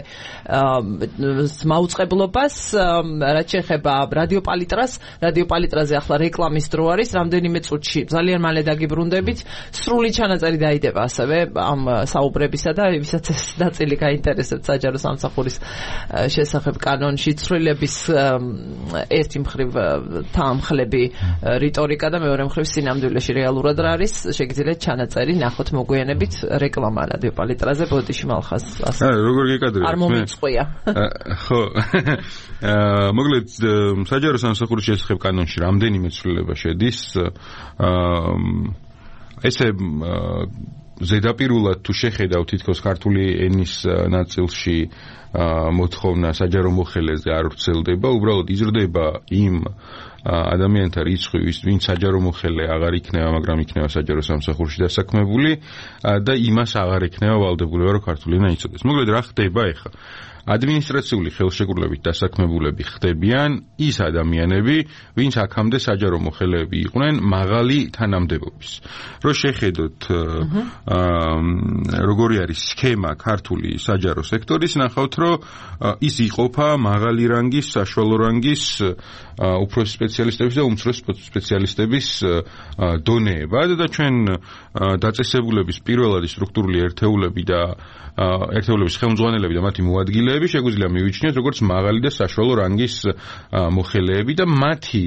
მაუწყებლობას. რაც შეეხება რადიო პალიტრას, რადიო პალიტრაზე ახლა რეკლამის დრო არის, რამდენიმე წუთში ძალიან მალე დაგიბრუნდებით. სრული ჩანაწერი დაიდება ასევე ამ საუბრებისა და ვისაც ეს ნაწილი გაინტერესებს საჯარო სამსახურის შესახებ კანონში ცვლილების ერთი მხრივ თანხლები რიტორიკა და მეორე მხრივ სინამდვილეში რეალურად რა არის, შეგიძლიათ ჩანაწერი ნახოთ მოგვიანებით რეკლამა რადიო პალიტრაზე ბოდიში მალხაზ. აა როგორ გეკადრებთ? არ მომიწყვია. ხო. მოკლედ საჯარო სამსახურის შესახებ კანონში რამდენიმე ცვლილება შედის. ესე ზედაპირულად თუ შეხედავ თითქოს ქართული ენის ნაწილში მოთხოვნა საჯარო მოხელეზე არ ვრცელდება, უბრალოდ იზრდება იმ ადამიანთა რიცხვი, ვინც საჯარო მოხელე აღარ იქნება, მაგრამ იქნება საჯარო სამსახურში დასაქმებული და იმას აღარ ექნება ვალდებულება, რომ ქართული ენა იცოდეს. მოკლედ რა ხდება ახლა? ადმინისტრაციული ხელშეკრულებით დასაქმებულები ხდებიან ის ადამიანები, ვინც აქამდე საჯარო მოხელეები იყვნენ მაღალი თანამდებობის. რო შეხედოთ როგორი არის სქემა ქართული საჯარო სექტორის, ნახავთ, რომ ის იყოფა მაღალი რანგის, საშუალო რანგის, უფროსი სპეციალისტების და უმცროსი სპეციალისტების დონეებად და ჩვენ დაწესებულების პირველადი სტრუქტურული ერთეულები და ერთეულების ხელმძღვანელები და მათი მოადგილეები შეგვიძლია მივიჩნიოთ როგორც მაღალი და საშუალო რანგის მოხელეები და მათი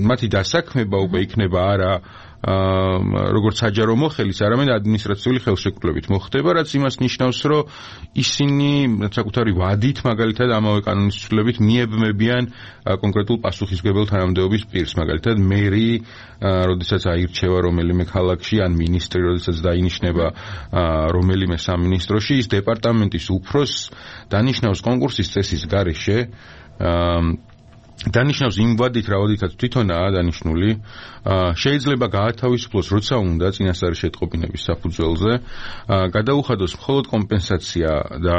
მათი დასაქმება უკვე იქნება არა როგორც საჯარო მოხელის, არამედ ადმინისტრაციული ხელშეკრულებით მოხდება, რაც იმას ნიშნავს, რომ ისინი საკუთარი ვადით მაგალითად ამავე კანონის ცვლილებით მიებმებიან კონკრეტულ პასუხისმგებელ თანამდებობის პირს, მაგალითად მერი, როდესაც აირჩევა რომელიმე ქალაქში, ან მინისტრი, როდესაც დაინიშნება რომელიმე სამინისტროში, ის დეპარტამენტის უფროსს დანიშნავს კონკურსის წესის გარეშე დანიშნავს იმ ვადით, რა ვადითაც თვითონაა დანიშნული, შეიძლება გაათავისუფლოს, როცა უნდა წინასწარი შეტყობინების საფუძველზე, გადაუხადოს მხოლოდ კომპენსაცია და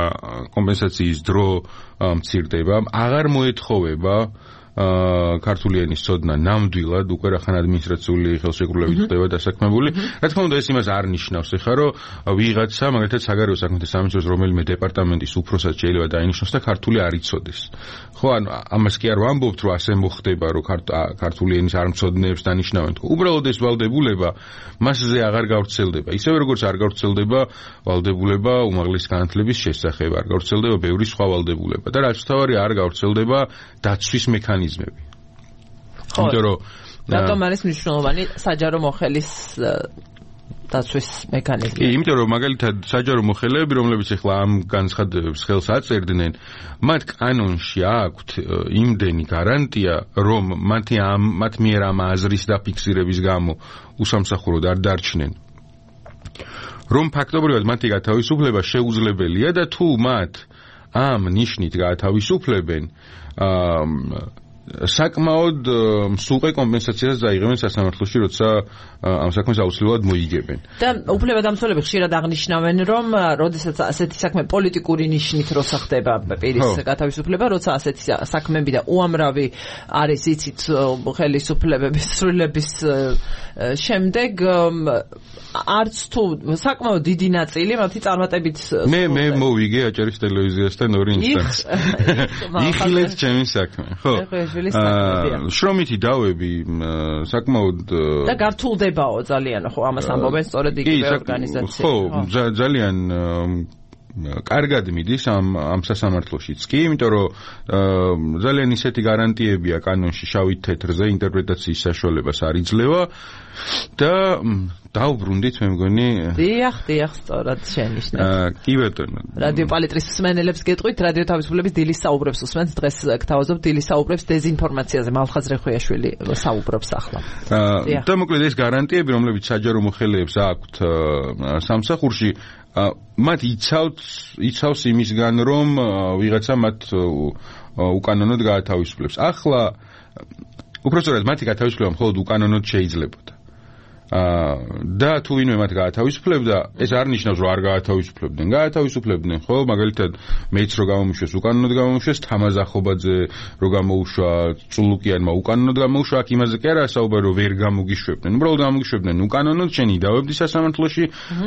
კომპენსაციის დრო მცირდება, აღარ მოეთხოვება ქართული ენის ცოდნა ნამდვილად უკვე რახან ადმინისტრაციული ხელშეკრულებით ხდება დასაქმებული. რა თქმა უნდა, ეს იმას არ ნიშნავს, ეხლა რომ ვიღაცა, მაგალითად საგარეო საქმეთა სამინისტროს რომელიმე დეპარტამენტის უფროსად შეიძლება დაინიშნოს და ქართული არ იცოდეს. ხო, ანუ ამას კი არ ვამბობთ, რომ ასე მოხდება, რომ ქართული ენის არ მცოდნეებს დანიშნავენ. უბრალოდ ეს ვალდებულება მასზე აღარ გავრცელდება. ისევე როგორც არ გავრცელდება ვალდებულება უმაღლესი განათლების შესახებ, არ გავრცელდება ბევრი სხვა ვალდებულება და რაც თავარი არ გავრცელდება დაცვის მექანიზმები. იმიტომ რომ რატომ არის მნიშვნელოვანი საჯარო მოხელის დაცვის მექანიზმი? იმიტომ რომ მაგალითად საჯარო მოხელეები, რომლებიც ახლა ამ განცხადებებს ხელს აწერდნენ, მათ კანონში აქვთ იმდენი გარანტია, რომ მათი ამ მათ მიერ ამ აზრის დაფიქსირების გამო უსამსახუროდ არ დარჩნენ. რომ ფაქტობრივად მათი გათავისუფლება შეუძლებელია და თუ მათ ამ ნიშნით გაათავისუფლებენ, საკმაოდ მსუყე კომპენსაციას დაიღებენ სასამართლოში, როცა ამ საქმეს აუცილებლად მოიგებენ. და უფლებადამცველები ხშირად აღნიშნავენ, რომ როდესაც ასეთი საქმე პოლიტიკური ნიშნით როცა ხდება პირის გათავისუფლება, როცა ასეთი საქმეები და უამრავი არის იცით ხელისუფლებების სრულების შემდეგ არც თუ საკმაოდ დიდი ნაწილი მათი წარმატებით მე მე მოვიგე აჭარის ტელევიზიასთან ორი ინსტანც. იხილეთ ჩემი საქმე, ხო? შრომითი დავები საკმაოდ და გართულდებაო ძალიან, ხო, ამას ამბობენ სწორედ იგივე ორგანიზაციები. ხო, ძალიან კარგად მიდის ამ ამ სასამართლოშიც კი, იმიტომ რომ ძალიან ისეთი გარანტიებია კანონში შავით თეთრზე ინტერპრეტაციის საშუალებას არ იძლევა და დაუბრუნდით მე მგონი დიახ, დიახ, სწორად შენიშნეთ. კი ბატონო. რადიო პალიტრის მსმენელებს გეტყვით, რადიო თავისუფლების დილის საუბრებს უსმენთ, დღეს გთავაზობთ დილის საუბრებს დეზინფორმაციაზე. მალხაზ რეხვიაშვილი საუბრობს ახლა. და მოკლედ ეს გარანტიები, რომლებიც საჯარო მოხელეებს აქვთ სამსახურში, მათ იცავთ იცავს იმისგან, რომ ვიღაცა მათ უკანონოდ გაათავისუფლებს. ახლა უпростоრად მათი გათავისუფლება მხოლოდ უკანონოდ შეიძლებოდა. და თუ ვინმე მათ გაათავისუფლებდა, ეს არ ნიშნავს, რომ არ გაათავისუფლებდნენ. გაათავისუფლებდნენ, ხო, მაგალითად, მეც რო გამომიშვეს, უკანონოდ გამომიშვეს, თამაზ ახობაძე რო გამოუშვა, წულუკიანმა უკანონოდ გამოუშვა, აქ იმაზე კი არა საუბარი, რომ ვერ გამოგიშვებდნენ. უბრალოდ გამოგიშვებდნენ უკანონოდ, შენ იდავებდი სასამართლოში,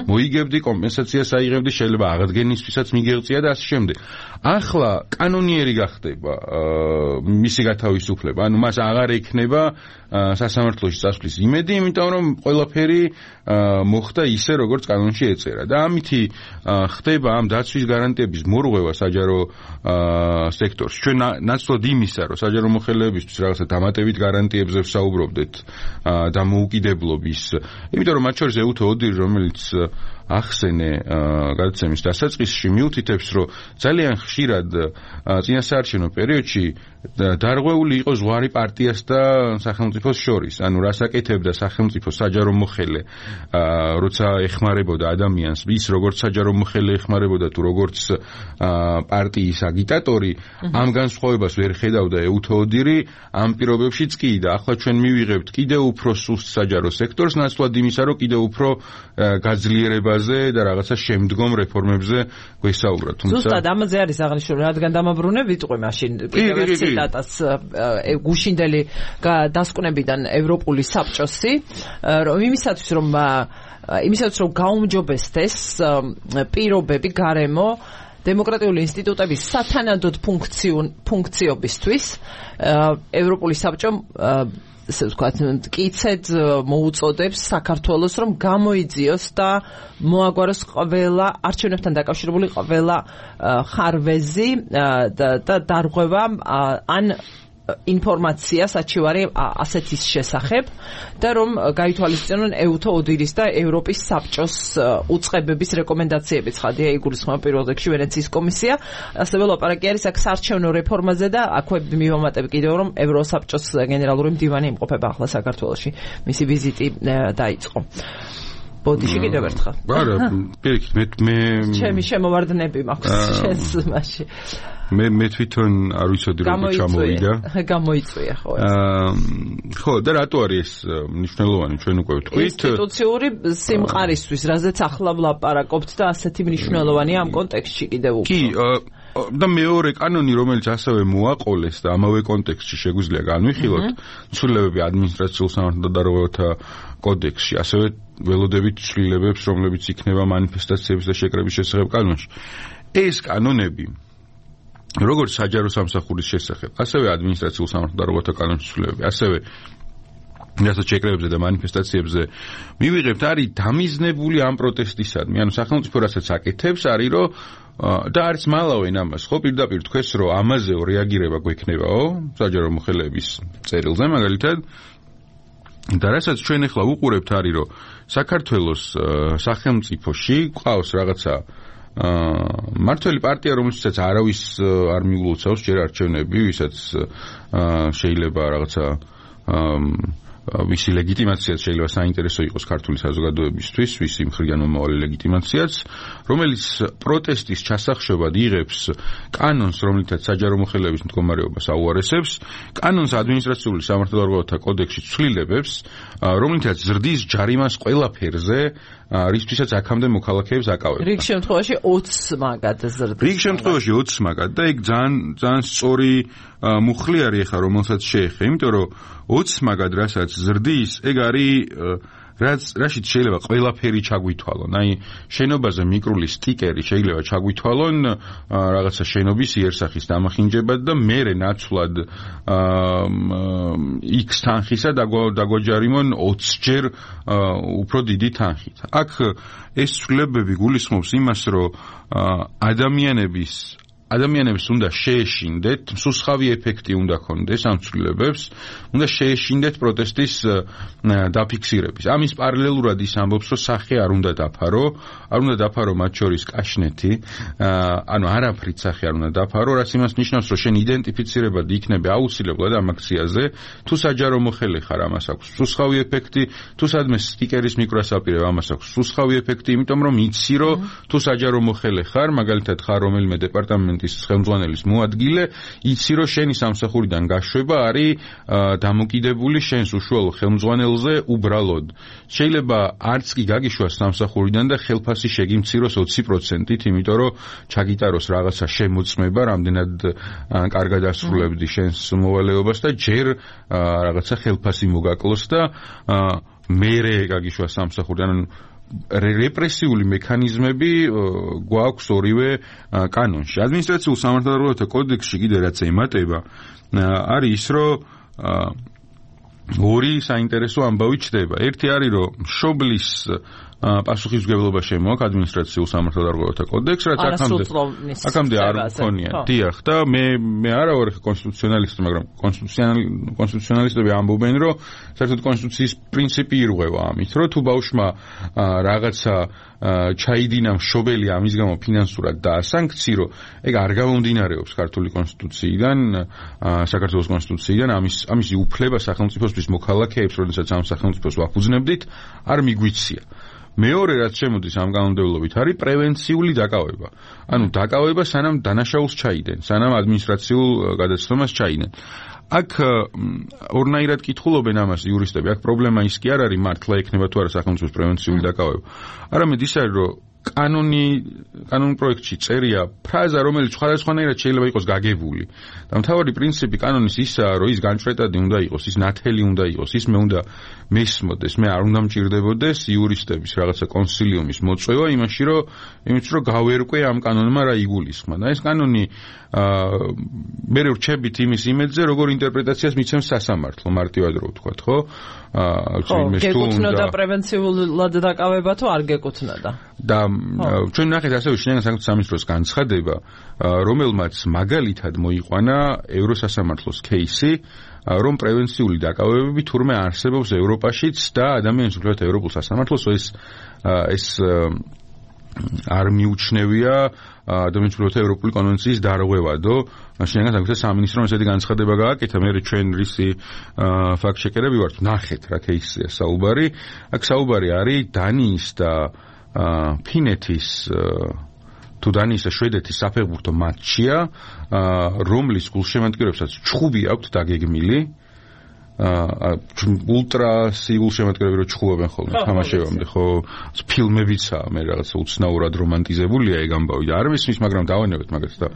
მოიგებდი, კომპენსაციას აიღებდი, შეიძლება აღდგენისთვისაც მიგეღწია და ასე შემდეგ. ახლა კანონიერი გახდება მისი გათავისუფლება, ანუ მას აღარ ექნება სასამართლოში წასვლის იმედი, იმიტომ რომ ყველაფერი მოხდა ისე, როგორც კანონში ეწერა. და ამითი ხდება ამ დაცვის გარანტიების მორღვევა საჯარო სექტორში. ჩვენ ნაცვლად იმისა, რომ საჯარო მოხელეებისთვის რაღაცა დამატებით გარანტიებზე ვსაუბრობდეთ და მოუკიდებლობის, იმიტომ რომ მათ შორის ეუთო ოდირი, რომელიც ახსენე გადაცემის დასაწყისში მიუთითებს, რომ ძალიან ხშირად წინასაარჩევნო პერიოდში დარღვეული იყო ზღვარი პარტიას და სახელმწიფოს შორის. ანუ რას აკეთებდა სახელმწიფო საჯარო მოხელე, როცა ეხმარებოდა ადამიანს, ის როგორც საჯარო მოხელე ეხმარებოდა თუ როგორც პარტიის აგიტატორი, ამ განსხვავებას ვერ ხედავდა ეუთო ოდირი ამ პირობებშიც კი და ახლა ჩვენ მივიღებთ კიდევ უფრო სუსტ საჯარო სექტორს, ნაცვლად იმისა, რომ კიდევ უფრო გაძლიერებაზე და რაღაცა შემდგომ რეფორმებზე გვესაუბრა. თუმცა ზუსტად ამაზე არის აღნიშნული, რადგან დამაბრუნე ვიტყვი მაშინ კიდევ ერთ ციტატას გუშინდელი დასკვნებიდან ევროპული საბჭოსი, რომ იმისათვის რომ იმისათვის რომ გაუმჯობესდეს პირობები გარემო დემოკრატიული ინსტიტუტების სათანადოდ ფუნქციობისთვის, ევროპული საბჭომ ესე ვთქვათ, მტკიცედ მოუწოდებს საქართველოს, რომ გამოიძიოს და მოაგვაროს ყველა არჩევნებთან დაკავშირებული ყველა ხარვეზი და დარღვევა ან ინფორმაცია საჩივარი ასეთის შესახებ და რომ გაითვალისწინონ ეუთო ოდირის და ევროპის საბჭოს უწყებების რეკომენდაციები. ცხადია, იგულისხმება პირველ რიგში ვენეციის კომისია, ასევე ლაპარაკი არის აქ საარჩევნო რეფორმაზე და აქვე მივამატებ კიდევ რომ ევროსაბჭოს გენერალური მდივანი იმყოფება ახლა საქართველოში. მისი ვიზიტი დაიწყო. ბოდიში კიდევ ერთხელ. არა, პირიქით, მე მე ჩემი შემოვარდნები მაქვს შენს მასში. მე მე თვითონ არ ვიცოდი როგორ ჩამოვიდა. გამოიწვია ხო ეს. ხო, და რატო არის ეს მნიშვნელოვანი, ჩვენ უკვე ვთქვით. ინსტიტუციური სიმყარისთვის, რაზეც ახლა ვლაპარაკობთ და ასეთი მნიშვნელოვანია ამ კონტექსტში კიდევ უფრო. კი, და მეორე კანონი, რომელიც ასევე მოაყოლეს და ამავე კონტექსტში შეგვიძლია განვიხილოთ, ცვლილებები ადმინისტრაციულ სამართალდარღვევათა კოდექსში, ასევე ველოდებით ცვლილებებს, რომლებიც იქნება მანიფესტაციების და შეკრების შესახებ კანონში. ეს კანონები როგორც საჯარო სამსახურის შესახებ, ასევე ადმინისტრაციულ სამართალდარღვევათა კანონში ცვლილებები, ასევე რასაც შეკრებებზე და მანიფესტაციებზე მივიღებთ, არის დამიზნებული ამ პროტესტისადმი. ანუ სახელმწიფო რასაც აკეთებს, არის რომ და არც მალავენ ამას, ხო, პირდაპირ თქვეს, რომ ამაზე რეაგირება გვექნებაო, საჯარო მოხელეების წერილზე მაგალითად. და რასაც ჩვენ ახლა უყურებთ, არის რომ საქართველოს სახელმწიფოში ყავს რაღაცა მართველი პარტია, რომელსაც არავის არ მიულოცავს ჯერ არჩევნები, ვისაც შეიძლება რაღაცა ვისი ლეგიტიმაციაც შეიძლება საინტერესო იყოს ქართული საზოგადოებისთვის, ვისი მხრიდან მომავალი ლეგიტიმაციაც, რომელიც პროტესტის ჩასახშობად იღებს კანონს, რომლითაც საჯარო მოხელეების მდგომარეობას აუარესებს, კანონს ადმინისტრაციული სამართალდარღვევათა კოდექსში ცვლილებებს, რომლითაც ზრდის ჯარიმას ყველაფერზე, რისთვისაც აქამდე მოქალაქეებს აკავებდა. რიგ შემთხვევაში ოცს მაგად ზრდის. რიგ შემთხვევაში ოცს მაგად და ეგ ძალიან ძალიან სწორი მუხლი არის ახლა რომელსაც შეეხება, იმიტომ რომ ოცს მაგად რასაც ზრდის, ეგ არის რაც რაშიც შეიძლება ყველაფერი ჩაგვითვალონ. აი შენობაზე მიკრული სტიკერი შეიძლება ჩაგვითვალონ რაღაცა შენობის იერსახის დამახინჯებად და მერე ნაცვლად X თანხისა დაგვაჯარიმონ ოცს ჯერ უფრო დიდი თანხით. აქ ეს ცვლილებები გულისხმობს იმას, რომ ადამიანების ადამიანებს უნდა შეეშინდეთ, მსუსხავი ეფექტი უნდა ქონდეს ამ ცვლილებებს, უნდა შეეშინდეთ პროტესტის დაფიქსირების. ამის პარალელურად ის ამბობს, რომ სახე არ უნდა დაფარო, არ უნდა დაფარო მათ შორის კაშნეთი, ანუ არაფრით სახე არ უნდა დაფარო, რაც იმას ნიშნავს, რომ შენ იდენტიფიცირებად იქნები აუცილებლად ამ აქციაზე, თუ საჯარო მოხელე ხარ, ამას აქვს მსუსხავი ეფექტი, თუ სადმე სტიკერის მიკროს აპირებ, ამას აქვს მსუსხავი ეფექტი, იმიტომ რომ იცი, რომ თუ საჯარო მოხელე ხარ, მაგალითად ხარ რომელიმე დეპარტამენტ ის ხელმძღვანელის მოადგილე, იცი რომ შენი სამსახურიდან გაშვება არის დამოკიდებული შენს უშუალო ხელმძღვანელზე უბრალოდ. შეიძლება არც კი გაგიშვას სამსახურიდან და ხელფასი შეგიმციროს ოცი პროცენტით, იმიტომ რომ ჩაგიტაროს რაღაცა შემოწმება, რამდენად კარგად ასრულებდი შენს მოვალეობას და ჯერ რაღაცა ხელფასი მოგაკლოს და მერე გაგიშვას სამსახურიდან. რეპრესიული მექანიზმები გვაქვს ორივე კანონში. ადმინისტრაციულ სამართალდარღვევათა კოდექსში კიდე რაც ემატება, არის ის, რომ ორი საინტერესო ამბავი ჩდება. ერთი არის, რომ მშობლის პასუხისმგებლობა შემოაქვს ადმინისტრაციულ სამართალდარღვევათა კოდექსს, რაც აქამდე აქამდე არ მქონია. დიახ, და მე მე არა ვარ კონსტიტუციონალისტი, მაგრამ კონსტიტუციონალისტები ამბობენ, რომ საერთოდ კონსტიტუციის პრინციპი ირღვევა ამით, რომ თუ ბავშვმა რაღაცა ჩაიდინა მშობელი ამის გამო ფინანსურად დაასანქცირო, ეგ არ გამომდინარეობს ქართული კონსტიტუციიდან, საქართველოს კონსტიტუციიდან, ამის ამისი უფლება სახელმწიფოსთვის მოქალაქეებს, როდესაც ამ სახელმწიფოს ვაფუძნებდით, არ მიგვიცია. მეორე რაც შემოდის ამ კანონმდებლობით არის პრევენციული დაკავება. ანუ დაკავება სანამ დანაშაულს ჩაიდენ, სანამ ადმინისტრაციულ გადაცნობას ჩაიდენ. აქ ორნაირად კითხულობენ ამას იურისტები. აქ პრობლემა ის კი არ არის მართლა ექნება თუ არა სახელმწიფოს პრევენციული დაკავება. არამედ ის არის, რომ კანონი კანონ პროექტში წერია ფრაზა, რომელიც სხვადასხვანაირად შეიძლება იყოს გაგებული. და მთავარი პრინციპი კანონის ისაა, რომ ის განჭრეტადი უნდა იყოს, ის ნათელი უნდა იყოს, ის მე უნდა მესმოდეს, მე არ უნდა მჭირდებოდეს იურისტების რაღაცა კონსილიუმის მოწვევა იმაში, რომ იმით რომ გავერკვე ამ კანონმა რა იგულისხმა. და ეს კანონი მე რჩებით იმის იმედზე, როგორ ინტერპრეტაციას მიცემს სასამართლო, მარტივად რო ვთქვათ, ხო? აა გეკუთვნოდა პრევენციულად დაკავება თუ არ გეკუთვნოდა? და ჩვენ ნახეთ ასევე შინაგან საქმეთა სამინისტროს განცხადება, რომელმაც მაგალითად მოიყვანა ევროსასამართლოს кейსი, რომ პრევენციული დაკავებები თურმე არსებობს ევროპაშიც და ადამიანის უფლებათა ევროპულ სასამართლოს ეს ეს არ მიუჩნევია ადამიანის უფლებათა ევროპული კონვენციის დარღვევადო. შინაგან საქმეთა სამინისტრომ ესეთი განცხადება გააკეთა, მე ჩვენ რისი ფაქტ-ჩეკერები ვართ, ნახეთ რა кейსია საუბარი. აქ საუბარი არის დანიის და ფინეთის თუ დანიის და შვედეთის საფეხბურთო მატჩია, რომლის გულშემატკივრებსაც ჩხუბი აქვთ დაგეგმილი. ულტრა სიგულშემატკივრები რო ჩხუბობენ ხოლმე თამაშებამდე, ხო, ფილმებიცაა, მე რაღაცა უცნაურად რომანტიზებულია ეგ ამბავი და არ მისმის, მაგრამ დავანებეთ მაგას და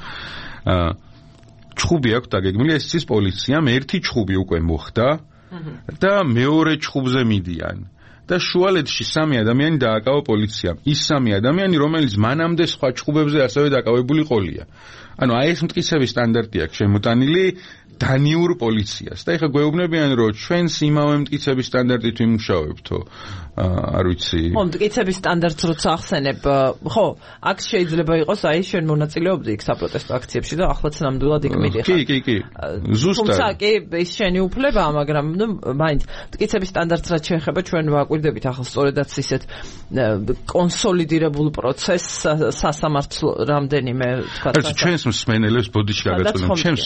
ჩხუბი აქვთ დაგეგმილი, ეს ის პოლიციამ ერთი ჩხუბი უკვე მოხდა და მეორე ჩხუბზე მიდიან. და შუალედში სამი ადამიანი დააკავა პოლიციამ. ის სამი ადამიანი, რომელიც მანამდე სხვა ჩხუბებზე ასევე დაკავებული ყოლია. ანუ აი ეს მტკიცების სტანდარტი აქვს შემოტანილი დანიურ პოლიციას. და ეხლა გვეუბნებიან, რომ ჩვენს იმავე მტკიცების სტანდარტით ვიმუშავებთო. არ ვიცი. ხო, მტკიცების სტანდარტს როცა ახსენებ, ხო, აქ შეიძლება იყოს, აი შენ მონაწილეობდი იქ საპროტესტო აქციებში და ახლაც ნამდვილად იქ მიდიხარ. კი, კი, კი. ზუსტად. თუმცა კი ის შენი უფლებაა, მაგრამ ნუ მაინც მტკიცების სტანდარტს რაც შეეხება, ჩვენ ვაკვირდებით ახლა სწორედაც ისეთ კონსოლიდირებულ პროცესს სასამართლო რამდენიმე თქვა. ჩვენს მსმენელებს ბოდიში გაგაწოდოთ. ჩვენს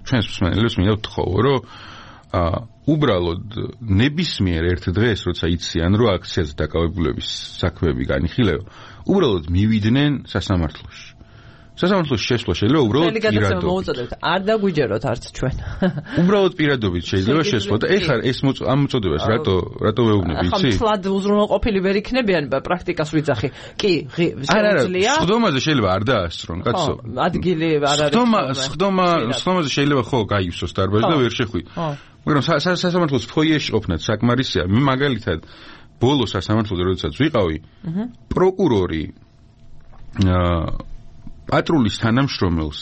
ჩვენს მსმენელებს მინდა ვთხოვო, რომ აა უბრალოდ ნებისმიერ ერთ დღეს, როცა იციან, რომ აქციაზე დაკავებულების საქმეები განიხილება, უბრალოდ მივიდნენ სასამართლოში. სასამართლოში შესვლა შეიძლება უბრალოდ პირადობით. არ დაგვიჯეროთ არც ჩვენ. უბრალოდ პირადობით შეიძლება შესვლა და ეხლა ეს ამ მოწოდებას რატო რატო ვეუბნები, იცი? ახლა თლად უზრუნველყოფილი ვერ იქნებიან პრაქტიკას ვიძახი. კი, შეუძლია. სხდომაზე შეიძლება არ დაასწრონ, კაცო. ადგილი არ არის. სხდომა, სხდომა, სხდომაზე შეიძლება ხო გაივსოს დარბაზი და ვერ შეხვი. მაგრამ სასამართლოს ფოიეში ყოფნაც საკმარისია. მე მაგალითად ბოლო სასამართლოზე როდესაც ვიყავი, პროკურორი აა პატრულის თანამშრომელს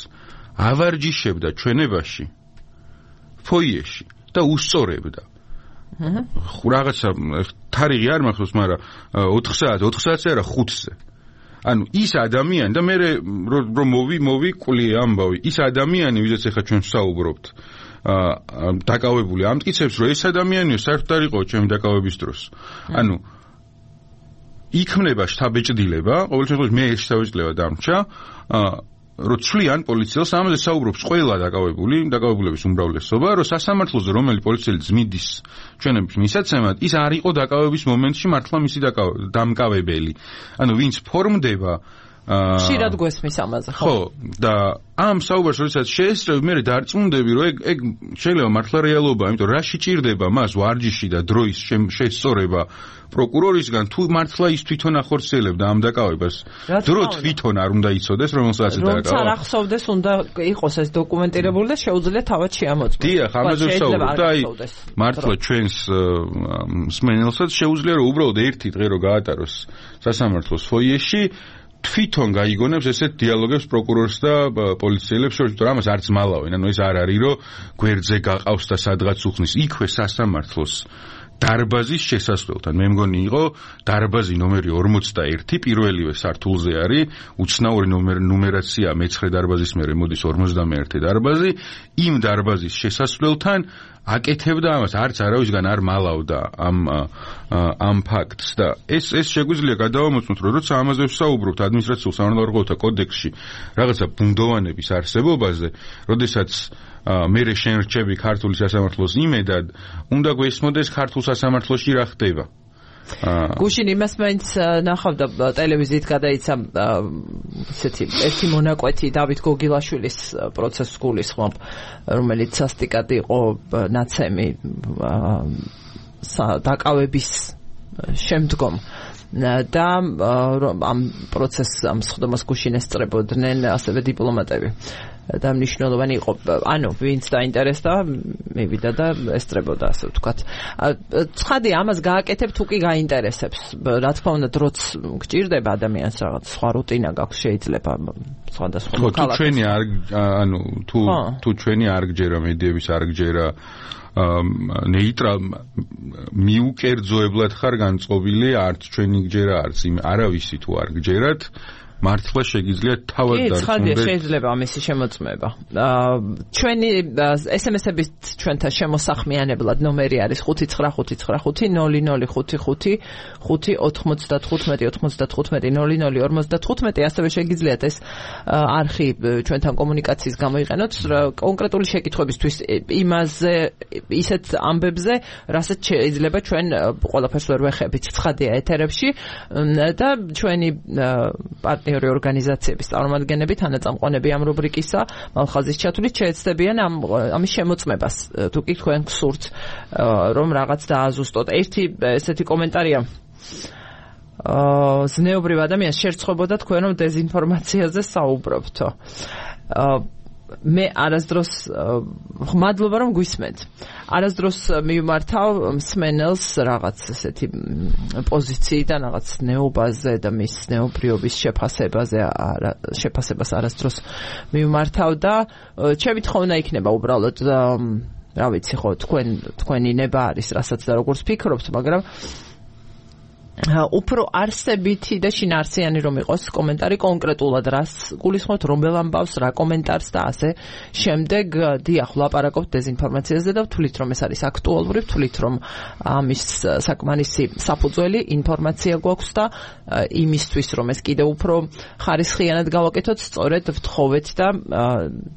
ავარჯიშებდა ჩვენებაში ფოიეში და უსწორებდა. აჰა. რაღაცა თარიღი არ მახსოვს, მაგრამ ოთხ საათი, ოთხ საათზე არა ხუთზე. ანუ ის ადამიანი და მე რომ მოვი, მოვი კვლიე ამბავი, ის ადამიანი, ვისაც ახლა ჩვენ ვსაუბრობთ, აა დაკავებული ამტკიცებს, რომ ეს ადამიანიო საერთოდ არ იყო ჩემი დაკავების დროს. ანუ იქმნება შთაბეჭდილება, ყოველ შემთხვევაში მე ეს შთაბეჭდილება დამრჩა, რომ ცვლიან პოლიციელს, ამაზე საუბრობს ყველა დაკავებული, დაკავებულების უმრავლესობა, რომ სასამართლოზე რომელი პოლიციელი ძმიდის ჩვენების მისაცემად, ის არ იყო დაკავების მომენტში მართლა მისი დამკავებელი. ანუ ვინც ფორმდება ხშირად გვესმის ამაზე, ხო? ხო, და ამ საუბარს როდესაც შეესწრები, მე დარწმუნდები, რომ ეგ ეგ შეიძლება მართლა რეალობაა, იმიტომ რა შეჭირდება მას ვარჯიში და დროის შესწორება პროკურორისგან, თუ მართლა ის თვითონ ახორციელებდა ამ დაკავებას. დრო თვითონ არ უნდა იცოდეს, რომელსაც დაკავა. რომელსაც არ ახსოვდეს, უნდა იყოს ეს დოკუმენტირებული და შეუძლია თავად შეამოწმოს. დიახ, ამაზე ვსაუბრობ და აი მართლა ჩვენს მსმენელსაც შეუძლია, რომ უბრალოდ ერთი დღე რო გაატაროს სასამართლოს ფოიეში, თვითონ გაიგონებს ესეთ დიალოგებს პროკურორს და პოლიციელებს შორის, რომ ამას არც მალავენ, ანუ ეს არ არის, რომ გვერდზე გაყავს და სადღაც უხსნის, იქვე სასამართლოს დარბაზის შესასვლელთან. მე მგონი იყო დარბაზი ნომერი ორმოცდაერთი, პირველივე სართულზე არის, უცნაური ნუმერაცია მეცხრე დარბაზის მერე მოდის ორმოცდამეერთე დარბაზი, იმ დარბაზის შესასვლელთან აკეთებდა ამას, არც არავისგან არ მალავდა ამ ამ ფაქტს და ეს ეს შეგვიძლია გადავამოწმოთ, რომ როცა ამაზე ვსაუბრობთ ადმინისტრაციულ სამართალდამცავთა კოდექსში რაღაცა ბუნდოვანების არსებობაზე, როდესაც მე შენ რჩები ქართული სასამართლოს იმედად, უნდა გვესმოდეს ქართულ სასამართლოში რა ხდება. გუშინ იმას მაინც ნახავდა ტელევიზიით გადაიცა ესეთი ერთი მონაკვეთი დავით გოგილაშვილის პროცესს გულისხმობ, რომელიც სასტიკად იყო ნაცემი დაკავების შემდგომ და ამ პროცესს ამ სხდომას გუშინ ესწრებოდნენ ასევე დიპლომატები. და მნიშვნელოვანი იყო, ანუ ვინც დაინტერესდა, მივიდა და ესწრებოდა, ასე ვთქვათ. ცხადია, ამას გააკეთებ თუ კი გაინტერესებს. რა თქმა უნდა, დროც გჭირდება ადამიანს რაღაც სხვა რუტინა გაქვს, შეიძლება სხვადასხვა ქალაქებში. თუ ჩვენი არ ანუ თუ თუ ჩვენი არ გჯერა მედიების არ გჯერა ნეიტრალ მიუკერძოებლად ხარ განწყობილი, არც ჩვენი გჯერა, არც იმ არავისი თუ არ გჯერათ, მართლა შეგიძლიათ თავად დარწმუნდეს. კი, ცხადია, შეიძლება ამისი შემოწმება. ჩვენი ეს ემ ესების ჩვენთან შემოსახმიანებლად ნომერი არის ხუთი ცხრა ხუთი ცხრა ხუთი ნული ნული ხუთი ხუთი ხუთი ოთხმოცდათხუთმეტი ოცდათხუთმეტი ნული ნული ორმოცდათხუთმეტი, ასევე შეგიძლიათ ეს არხი ჩვენთან კომუნიკაციის გამოიყენოთ კონკრეტული შეკითხვებისთვის იმაზე ისეთ ამბებზე, რასაც შეიძლება ჩვენ ყველაფერს ვერ ვეხებით ცხადია ეთერებში და ჩვენი პარტნიორი ორგანიზაციების წარმომადგენლები, თანაწამყვანები ამ რუბრიკისა, მალხაზის ჩათვლით შეეცდებიან ამ ამის შემოწმებას, თუ კი თქვენ გსურთ რომ რაღაც დააზუსტოთ. ერთი ესეთი კომენტარია აა ზნეობრივ ადამიანს შერწყობოდა თქვენ რომ დეზინფორმაციაზე საუბრობთო. მე არასდროს მადლობა რომ გვისმენთ. არასდროს მივმართავ მსმენელს რაღაც ესეთი პოზიციიდან რაღაც ნეობაზე და მის ნეობრიობის შეფასებაზე შეფასებას არასდროს მივმართავ და ჩემი თხოვნა იქნება უბრალოდ რა ვიცი ხო თქვენ თქვენი ნება არის რასაც და როგორც ფიქრობთ, მაგრამ უფრო არსებითი და შინაარსიანი რომ იყოს კომენტარი კონკრეტულად რას გულისხმობთ, რომელ ამბავს, რა კომენტარს და ასე შემდეგ. დიახ, ვლაპარაკობთ დეზინფორმაციაზე და ვთვლით რომ ეს არის აქტუალური, ვთვლით რომ ამის საკმარისი საფუძველი ინფორმაცია გვაქვს და იმისთვის რომ ეს კიდევ უფრო ხარისხიანად გავაკეთოთ, სწორედ ვთხოვეთ და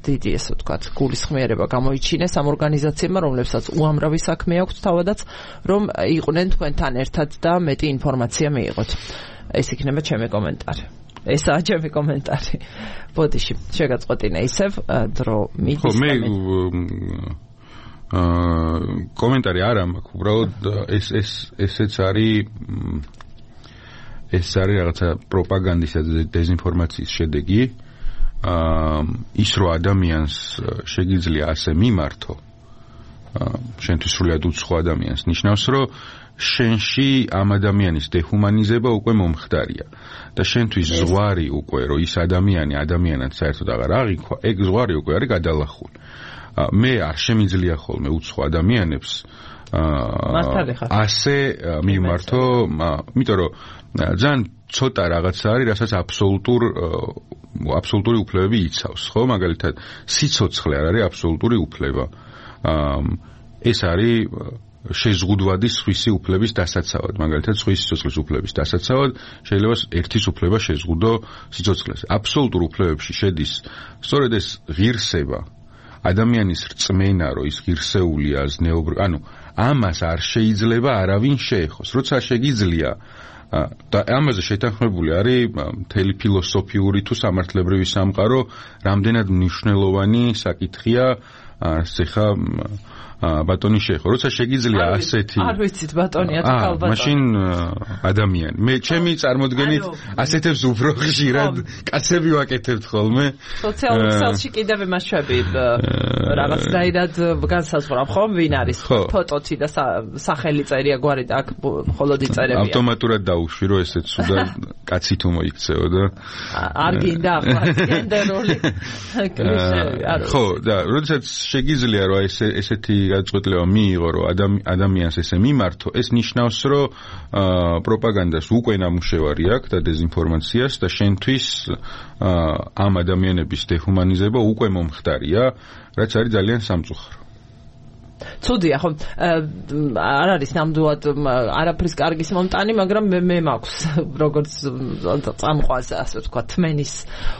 დიდი ესე ვთქვათ გულისხმიერება გამოიჩინეს ამ ორგანიზაციებმა, რომლებსაც უამრავი საქმე აქვთ თავადაც, რომ იყვნენ თქვენთან ერთად და მეტი ინფორმაცია მიიღოთ. ეს იქნება ჩემი კომენტარი. ესაა ჩემი კომენტარი. ბოდიში, შეგაწყვეტინე ისევ დრო მიდის. ხო, მე აა კომენტარი არ მაქვს, უბრალოდ ეს ეს ესეც არის ეს არის რაღაცა პროპაგანდისა და დეზინფორმაციის შედეგი. აა ის რო ადამიანს შეგიძლია ასე მიმართო, შენთვის სრულად უცხო ადამიანს, ნიშნავს, რომ შენში ამ ადამიანის დეჰუმანიზება უკვე მომხდარია და შენთვის ზღვარი უკვე რომ ის ადამიანი ადამიანად საერთოდ აღარ აღიქვა, ეგ ზღვარი უკვე არის გადალახული. მე არ შემიძლია ხოლმე უცხო ადამიანებს ასე მიმართო, იმიტომ რომ ძალიან ცოტა რაღაცა არის, რასაც აბსოლუტურ აბსოლუტური უფლებები იცავს, ხო? მაგალითად, სიცოცხლე არ არის აბსოლუტური უფლება. ეს არის შეზღუდვადი სხვისი უფლების დასაცავად, მაგალითად სხვის სიცოცხლის უფლების დასაცავად შეიძლება ერთის უფლება შეზღუდო სიცოცხლეს. აბსოლუტურ უფლებებში შედის სწორედ ეს ღირსება, ადამიანის რწმენა, რომ ის ღირსეულია, ზნეობრივი, ანუ ამას არ შეიძლება არავინ შეეხოს. როცა შეგიძლია და ამაზე შეთანხმებული არის მთელი ფილოსოფიური თუ სამართლებრივი სამყარო, რამდენად მნიშვნელოვანი საკითხია ხა ბატონი შეეხო. როცა შეგიძლია ასეთი არ ვიცით ბატონია თუ ქალბატონი. მაშინ ადამიანი. მე ჩემი წარმოდგენით ასეთებს უფრო ხშირად კაცები ვაკეთებთ ხოლმე. სოციალურ ქსელში კიდევ იმაშვები რაღაცნაირად განსაზღვრავ ხომ ვინ არის ფოტოთი და სახელი წერია გვარი და აქ მხოლოდ იწერებია. ავტომატურად დაუშვი რომ ესეც სუდა კაცი თუ მოიქცეო და არ გინდა ახლა გენდერული კლიშე. ხო, და როდესაც შეგიძლია რომ ეს ესეთი გადაწყვეტილება მიიღო, რომ ადამიანს ესე მიმართო, ეს ნიშნავს, რომ პროპაგანდას უკვე ნამუშევარი აქვს და დეზინფორმაციას და შენთვის ამ ადამიანების დეჰუმანიზება უკვე მომხდარია, რაც არის ძალიან სამწუხარო. ცუდია, ხო, არ არის ნამდვილად არაფრის კარგის მომტანი, მაგრამ მე მე მაქვს როგორც წამყვანს, ასე ვთქვა, თმენის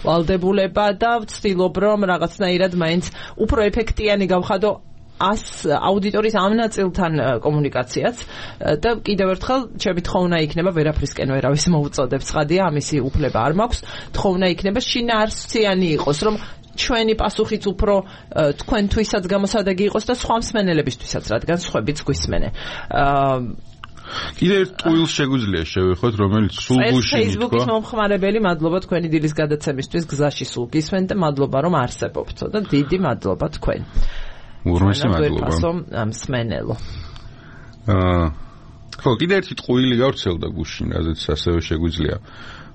ვალდებულება და ვცდილობ რომ რაღაცნაირად მაინც უფრო ეფექტიანი გავხადო ას აუდიტორიის ამ ნაწილთან კომუნიკაციაც და კიდევ ერთხელ ჩემი თხოვნა იქნება ვერაფრისკენ ვერავის მოუწოდებ ცხადია, ამისი უფლება არ მაქვს, თხოვნა იქნება შინაარსიანი იყოს, რომ ჩვენი პასუხიც უფრო თქვენთვისაც გამოსადეგი იყოს და სხვა მსმენელებისთვისაც, რადგან სხვებიც გვისმენენ. კიდევ ერთ ტყუილს შეგვიძლია შევეხოთ, რომელიც სულ გუშინ თქვა. Facebook-ის მომხმარებელი, მადლობა თქვენი დილის გადაცემისთვის, გზაში სულ გისმენთ და მადლობა რომ არსებობთ და დიდი მადლობა თქვენ. ურმესი მადლობა. მსმენელო. აა ხო, კიდევ ერთი ტყუილი გავრცელდა გუშინ, რაზეც ასევე შეგვიძლია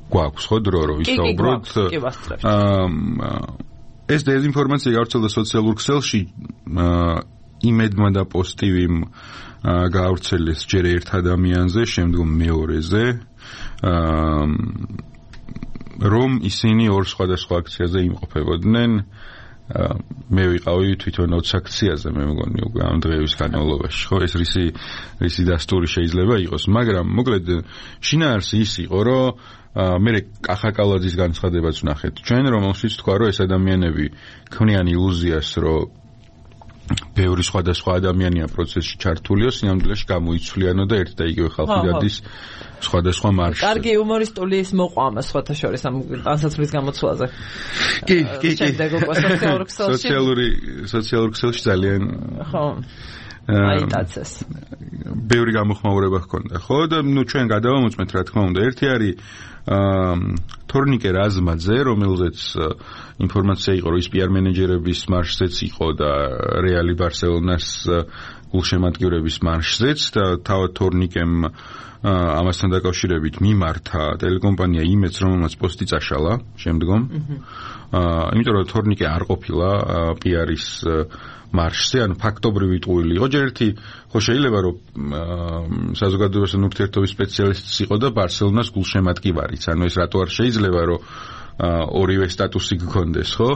გვაქვს ხო დრო რომ ვისაუბროთ. აა ეს დეზინფორმაცია გავრცელდა სოციალურ ქსელში, იმედმა და პოზიტივიმ გავრცელეს ჯერ ერთ ადამიანზე, შემდგომ მეორეზე, რომ ისინი ორ სხვადასხვა აქციაზე იმყოფებოდნენ. მე ვიყავი თვითონ ოც აქციაზე, მე მგონი უკვე ამ დღეების განმავლობაში, ხო, ეს რისი რისი დასტური შეიძლება იყოს, მაგრამ მოკლედ შინაარსი ის იყო, რომ მე კახაკალაძის განცხადებაც ვნახეთ ჩვენ, რომელშიც თქვა, რომ ეს ადამიანები ქმნიან ილუზიას, რომ ბევრი სხვადასხვა ადამიანია პროცესში ჩართულიო, სინამდვილეში გამოიცვლიანო და ერთ და იგივე ხალხი დადის სხვადასხვა მარშზე. კარგი იუმორისტული ის მოყვამა სხვათა შორის ამ ტანსაცმლის გამოცვლაზე. კი, კი, კი. სოციალურ სოციალური სოციალურ ქსელში ძალიან ხო. აიტაცეს. ბევრი გამოხმაურება ჰქონდა, ხო და ნუ ჩვენ გადავამოწმეთ რა თქმა უნდა. ერთი არის თორნიკე რაზმაძე, რომელზეც ინფორმაცია იყო, რომ ის პი არ მენეჯერების მარშზეც იყო და რეალი ბარსელონას გულშემატკივრების მარშზეც და თავად თორნიკემ ამასთან დაკავშირებით მიმართა ტელეკომპანია იმედს, რომელმაც პოსტი წაშალა შემდგომ. აა იმიტომ რომ თორნიკე არ ყოფილა პი არის მარშზე, ანუ ფაქტობრივი ტყუილი იყო. ჯერ ერთი ხო შეიძლება რომ საზოგადოებასთან ურთიერთობის სპეციალისტიც იყო და ბარსელონას გულშემატკივარიც. ანუ ეს რატო არ შეიძლება რომ ორივე სტატუსი გქონდეს, ხო?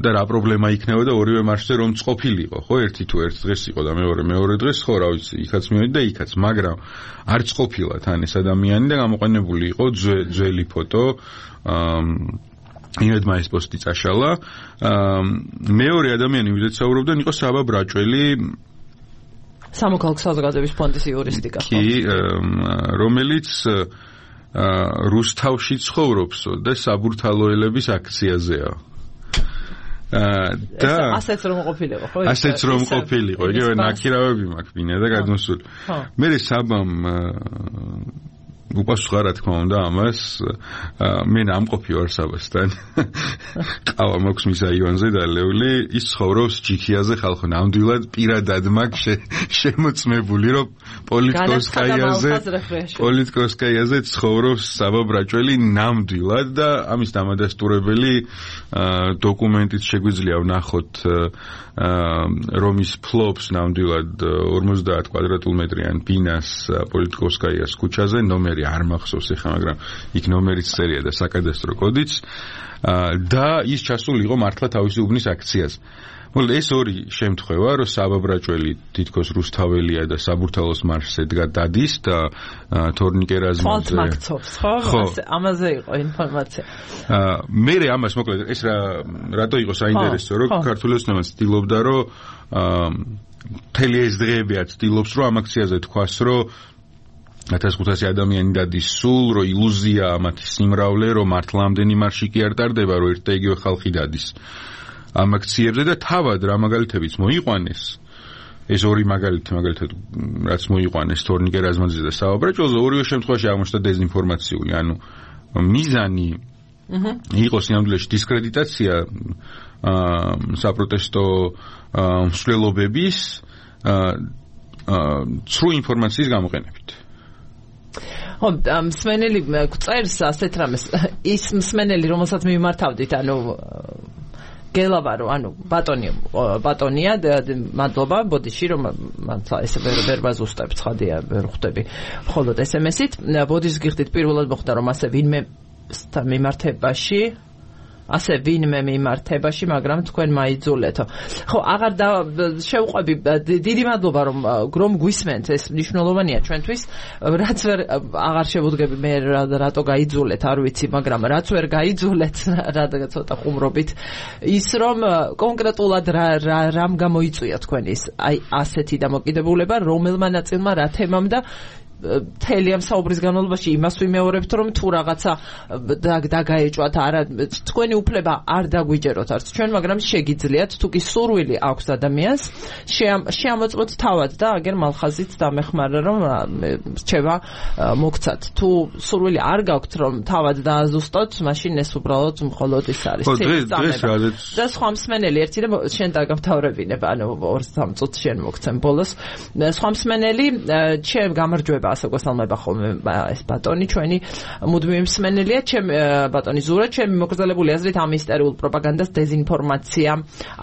და რა პრობლემა იქნება და ორივე მარშზე რომ წყופილიყო, ხო? ერთი თუ ერთ დღეს იყო და მეორე მეორე დღეს, ხო, რა ვიცი, იქაც მივედი და იქაც, მაგრამ არ წყופილა თან ეს ადამიანი და გამოყენებული იყო ძველი ფოტო. იმედმა ეს პოსტი წაშალა. მეორე ადამიანი, ვიდრე საუბრობდნენ, იყო საბა ბრაჭველი, სამოქალაქო საზოგადოების ფონდის იურისტიკა, ხო? კი, რომელიც რუსთავში ცხოვრობსო და საბურთალოელების აქციაზეა. და ასეც რომ ყოფილიყო, ხო? ასეც რომ ყოფილიყო, იგივე ნაქირავები მაქვს ბინა და გადმოსული. მე საბამ უპასუხა რა თქმა უნდა ამას, მე ნამყოფი ვარ საბასთან. ყავა მაქვს მის აივანზე დალეული, ის ცხოვრობს ჯიქიაზე ხალხო, ნამდვილად პირადად მაქვს შემოწმებული, რომ პოლიტკოსკაიაზე პოლიტკოსკაიაზე ცხოვრობს საბა ბრაჭველი ნამდვილად და ამის დამადასტურებელი დოკუმენტიც შეგვიძლია ვნახოთ, რომ ის ფლობს ნამდვილად ორმოცდაათ კვადრატულმეტრიან ბინას პოლიტკოსკაიას ქუჩაზე, ნომერი არ მახსოვს ეხლა, მაგრამ იქ ნომერიც წერია და საკადასტრო კოდიც და ის ჩასული იყო მართლა თავისი უბნის აქციაზე. მოლ ეს ორი შემთხვევა, რომ საბა ბრაჭველი თითქოს რუსთაველია და საბურთალოს მარშზე დგა დადის და თორნიკე რაზმაძე მაქცობს, ხო? ამაზე იყო ინფორმაცია. მე ამას მოკლედ ეს რა რატო იყო საინტერესო, რომ ქართული ოცნებაც ცდილობდა, რომ მთელი ეს დღეებია ცდილობს, რომ ამ აქციაზე თქვას, რომ ათას ხუთასი ადამიანი დადის სულ, რომ ილუზია მათი სიმრავლე, რომ მართლა ამდენი მარში კი არ ტარდება, რომ ერთ და იგივე ხალხი დადის ამ აქციებზე და თავად რა მაგალითებიც მოიყვანეს. ეს ორი მაგალითი, მაგალითად, რაც მოიყვანეს თორნიკე რაზმაძე და საბა ბრაჭველზე, ორივე შემთხვევაში აღმოჩნდა დეზინფორმაციული, ანუ მიზანი იყო სინამდვილეში დისკრედიტაცია საპროტესტო მსვლელობების ცრუ ინფორმაციის გამოყენებით. ხო, მსმენელი წერს ასეთ რამეს, ის მსმენელი, რომელსაც მიმართავდით, ანუ გელავარო, ანუ ბატონი ბატონია, მადლობა, ბოდიში, რომ მართლა ეს ვერ ბაზუსტებ, ცხადია, ვერ ხვდები მხოლოდ ეს ემ ესით. ბოდის გიხდით პირველად მოხდა, რომ ასე ვინმე მიმართებაში ასე ვინმე მიმართებაში, მაგრამ თქვენ მაიძულეთო. ხო, აღარ შევყვები, დიდი მადლობა, რომ რომ გვისმენთ, ეს მნიშვნელოვანია ჩვენთვის, რაც ვერ აღარ შევუდგები მე რატო გაიძულეთ, არ ვიცი, მაგრამ რაც ვერ გაიძულეთ, რადგან ცოტა ხუმრობით, ის რომ კონკრეტულად რამ გამოიწვია თქვენის აი ასეთი დამოკიდებულება, რომელმა ნაწილმა რა თემამ და მთელი ამ საუბრის განმავლობაში იმას ვიმეორებთ, რომ თუ რაღაცა დაგაეჭვათ, არა, თქვენი უფლება არ დაგვიჯეროთ არც ჩვენ, მაგრამ შეგიძლიათ, თუ კი სურვილი აქვს ადამიანს, შეამოწმოთ თავად და აგერ მალხაზით დამეხმარა, რომ რჩევა მოგცათ. თუ სურვილი არ გაქვთ, რომ თავად დააზუსტოთ, მაშინ ეს უბრალოდ მხოლოდ ის არის. და სხვა მსმენელი ერთი და შენ დაგამთავრებინებ, ანუ ორ სამ წუთს შენ მოგცემ ბოლოს. სხვა მსმენელი, ჩემ გამარჯვება ასე გასალმება ხოლმე ეს ბატონი ჩვენი მუდმივი მსმენელია, ჩემ ბატონი ზურა, ჩემი მოკრძალებული აზრით ამ ისტორიულ პროპაგანდას დეზინფორმაცია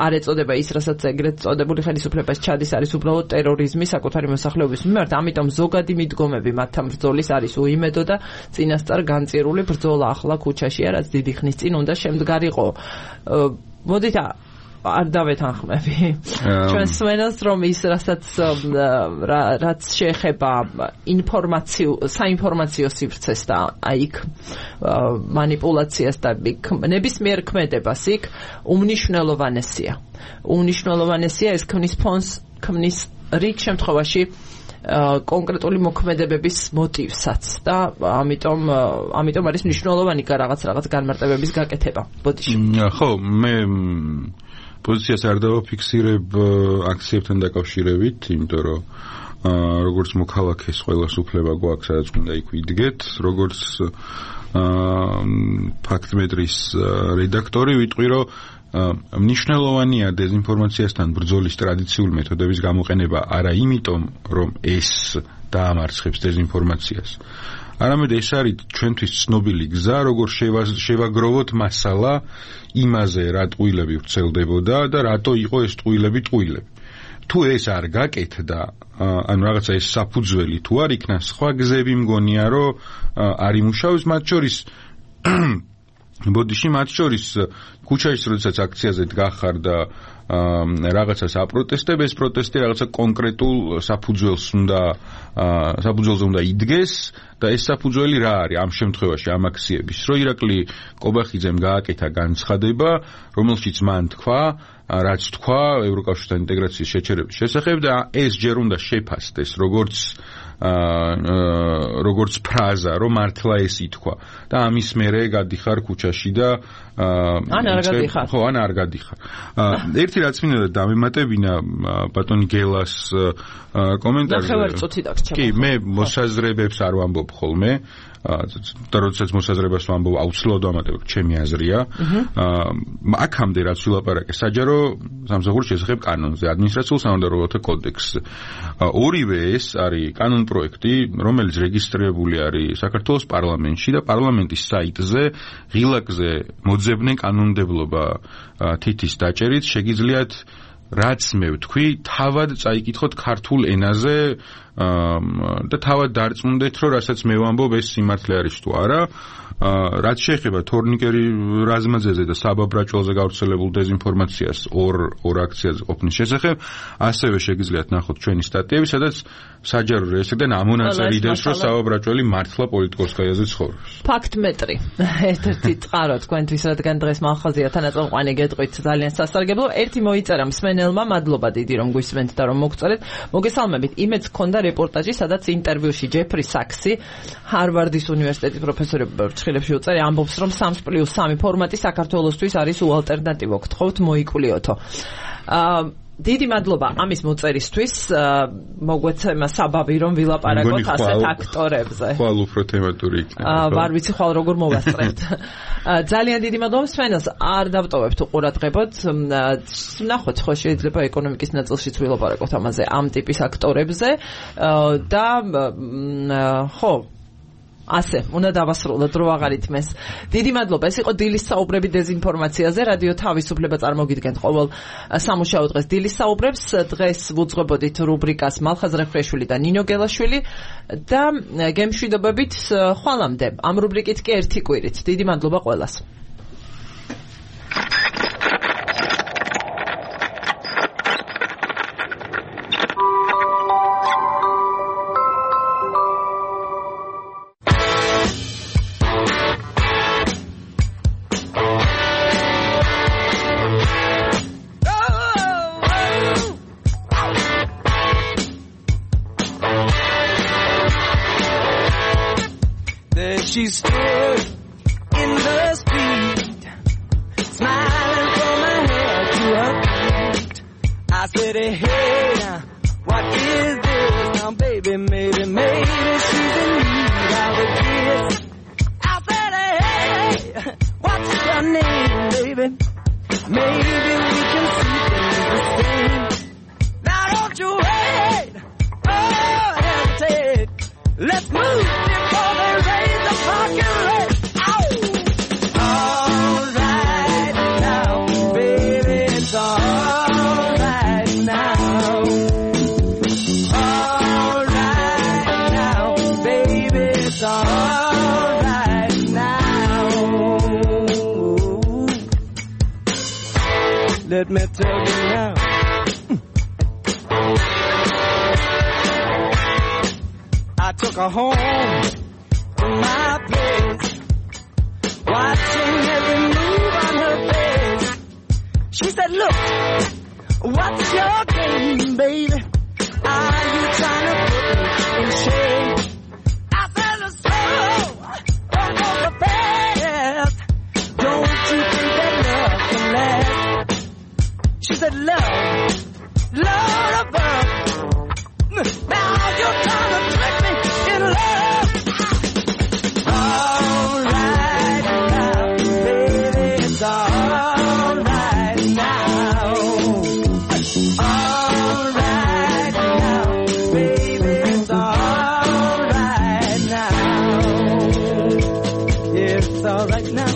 არ ეწოდება ის, რასაც ეგრეთ წოდებული ხელისუფლებას ჩადის, არის უბრალოდ ტერორიზმი საკუთარი მოსახლეობის მიმართ, ამიტომ ზოგადი მიდგომები მათთან ბრძოლის არის უიმედო და წინასწარ განწირული ბრძოლა ახლა ქუჩაშია, რაც დიდი ხნის წინ უნდა შემდგარიყო. მოდით არ დავეთანხმები ჩვენ სვენელს, რომ ის რასაც რაც შეეხება ინფორმაციო საინფორმაციო სივრცეს და აიქ მანიპულაციას და ნებისმიერ ქმედებას იქ უმნიშვნელოვანესია უმნიშვნელოვანესია ეს ქმნის ფონს, ქმნის რიგ შემთხვევაში კონკრეტული მოქმედებების მოტივსაც და ამიტომ ამიტომ არის მნიშვნელოვანი რაღაც რაღაც განმარტებების გაკეთება. ბოდიში. ხო, მე პოზიციას არ დავაფიქსირებ აქციებთან დაკავშირებით, იმიტომ რომ როგორც მოქალაქეს ყველას უფლება გვაქვს, სადაც უნდა იქ ვიდგეთ, როგორც ფაქტმეტრის რედაქტორი ვიტყვი, რომ მნიშვნელოვანია დეзинფორმაციასთან ბრძოლის ტრადიციული მეთოდების გამოყენება არა იმიტომ, რომ ეს დაამარცხებს დეзинფორმაციას. არამედ ეს არის ჩვენთვის ცნობილი გზა, როგორ შევაგროვოთ მასალა იმაზე, რა ტყუილები ვრცელდებოდა და რატო იყო ეს ტყუილები ტყუილები. თუ ეს არ გაკეთდა, ანუ რაღაცა ეს საფუძველი თუ არ იქნა, სხვა გზები მგონია, რომ არ იმუშავებს, მათ შორის ბოდიში მათ შორის ქუჩაში როდესაც აქციაზე დგახარ და რაღაცას აპროტესტებ, ეს პროტესტი რაღაცა კონკრეტულ საფუძველს უნდა საფუძველზე უნდა იდგეს და ეს საფუძველი რა არის ამ შემთხვევაში ამ აქციების, რომ ირაკლი კობახიძემ გააკეთა განცხადება, რომელშიც მან თქვა, რაც თქვა ევროკავშირთან ინტეგრაციის შეჩერების შესახებ და ეს ჯერ უნდა შეფასდეს როგორც როგორც ფრაზა, რომ მართლა ეს ითქვა და ამის მერე გადიხარ ქუჩაში და ან არ გადიხარ. ხო, ან არ გადიხარ. ერთი რაც მინდა დამემატებინა ბატონი გელას კომენტარზე. ნახევარი წუთი დაგჭირდა. კი, მე მოსაზრებებს არ ვამბობ ხოლმე. და როდესაც მოსაზრებას ვამბობ, აუცილებლად ვამატებ, ჩემი აზრია. აქამდე რაც ვილაპარაკე საჯარო სამსახურის შესახებ კანონზე, ადმინისტრაციულ სამართლებრივთა კოდექსზე. ორივე ეს არის კანონ პროექტი, რომელიც რეგისტრირებული არის საქართველოს პარლამენტში და პარლამენტის საიტზე ღილაკზე მოძებნე კანონმდებლობა თითის დაჭერით შეგიძლიათ რაც მე ვთქვი, თავად წაიკითხოთ ქართულ ენაზე და თავად დარწმუნდეთ, რომ რასაც მე ვამბობ, ეს სიმართლე არის თუ არა. რაც შეეხება თორნიკერი რაზმაძეზე და საბა ბრაჭველზე გავრცელებულ დეзинფორმაციას ორ ორ აქციაზე ყოფნის შესახებ, ასევე შეგიძლიათ ნახოთ ჩვენი სტატიები, სადაც საჯარო რეესტრიდან ამონაწილებს, რომ საბა ბრაჭველი მართლა პოლიტიკოსკაიაზე ცხოვრობს. ფაქტმეტრი. ერთ-ერთი წყარო თქვენთვის, რადგან დღეს მახაზია თანაწამყვანი გეტყვით ძალიან სასარგებლო. ერთი მოიწერა მსმენელმა, მადლობა დიდი რომ გვისმენთ და რომ მოგწერეთ. მოგესალმებით. იმედს ჰქონდა რეპორტაჟი, სადაც ინტერვიუში ჯეფრი საქსი, ჰარვარდის უნივერსიტეტის პროფესორი ფრჩხილებში უწერი, ამბობს, რომ სამს პლუს სამი ფორმატი საქართველოსთვის არის უალტერნატივო. გთხოვთ მოიკულიოთო. აა დიდი მადლობა ამის მოწერისთვის. მოგვეცემა საბაბი რომ ვილაპარაკოთ ასეთ აქტორებზე. ხვალ უფრო თემატური იქნება. აა ვარ ვიცი ხვალ როგორ მოვასწრებთ. ძალიან დიდი მადლობა მსმენელს. არ დავტოვებთ უყურადღებოთ. ნახოთ ხო შეიძლება ეკონომიკის ნაწილშიც ვილაპარაკოთ ამაზე ამ ტიპის აქტორებზე და ხო ასე, უნდა დავასრულოთ, რო აღარ ითმეს. დიდი მადლობა. ეს იყო დილის საუბრები დეзинფორმაციაზე. რადიო თავისუფლება წარმოგიდგენთ ყოველ სამუშაო დღეს დილის საუბრებს. დღეს ვუძღვებოდით რუბრიკას მალხაზ რეფრეშვილი და ნინო გელაშვილი და გემშვიდობებით ხვალამდე. ამ რუბრიკით კი ერთი კვირით. დიდი მადლობა ყველას. She stood in the street, smiling from her head to her feet. I said, hey, what is this? Now, baby, maybe, maybe she's in need of a kiss. I said, hey, what's your name, baby? Maybe we can see things the same. Now, don't you wait, oh, hesitate. Let's move before they raise the fucking rate. All right now, baby, it's all right now. All right now, baby, it's all right now. Let me tell you now. I took her home to my place, watching every move on her face. She said, look, what's your game, baby? Are you trying to put me in shame? I said, so, don't go so fast. Don't you think that love can last? She said, love, love above. Now alright now, baby, it's alright now. Yeah, it's alright now.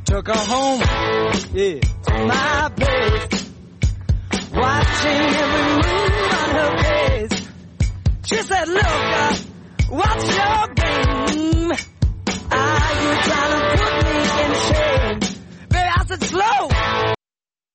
Took her home, yeah, to my place, watching every move on her face. She said, look, uh, what's your game? Are you trying to put me in shame? Baby, I said, slow.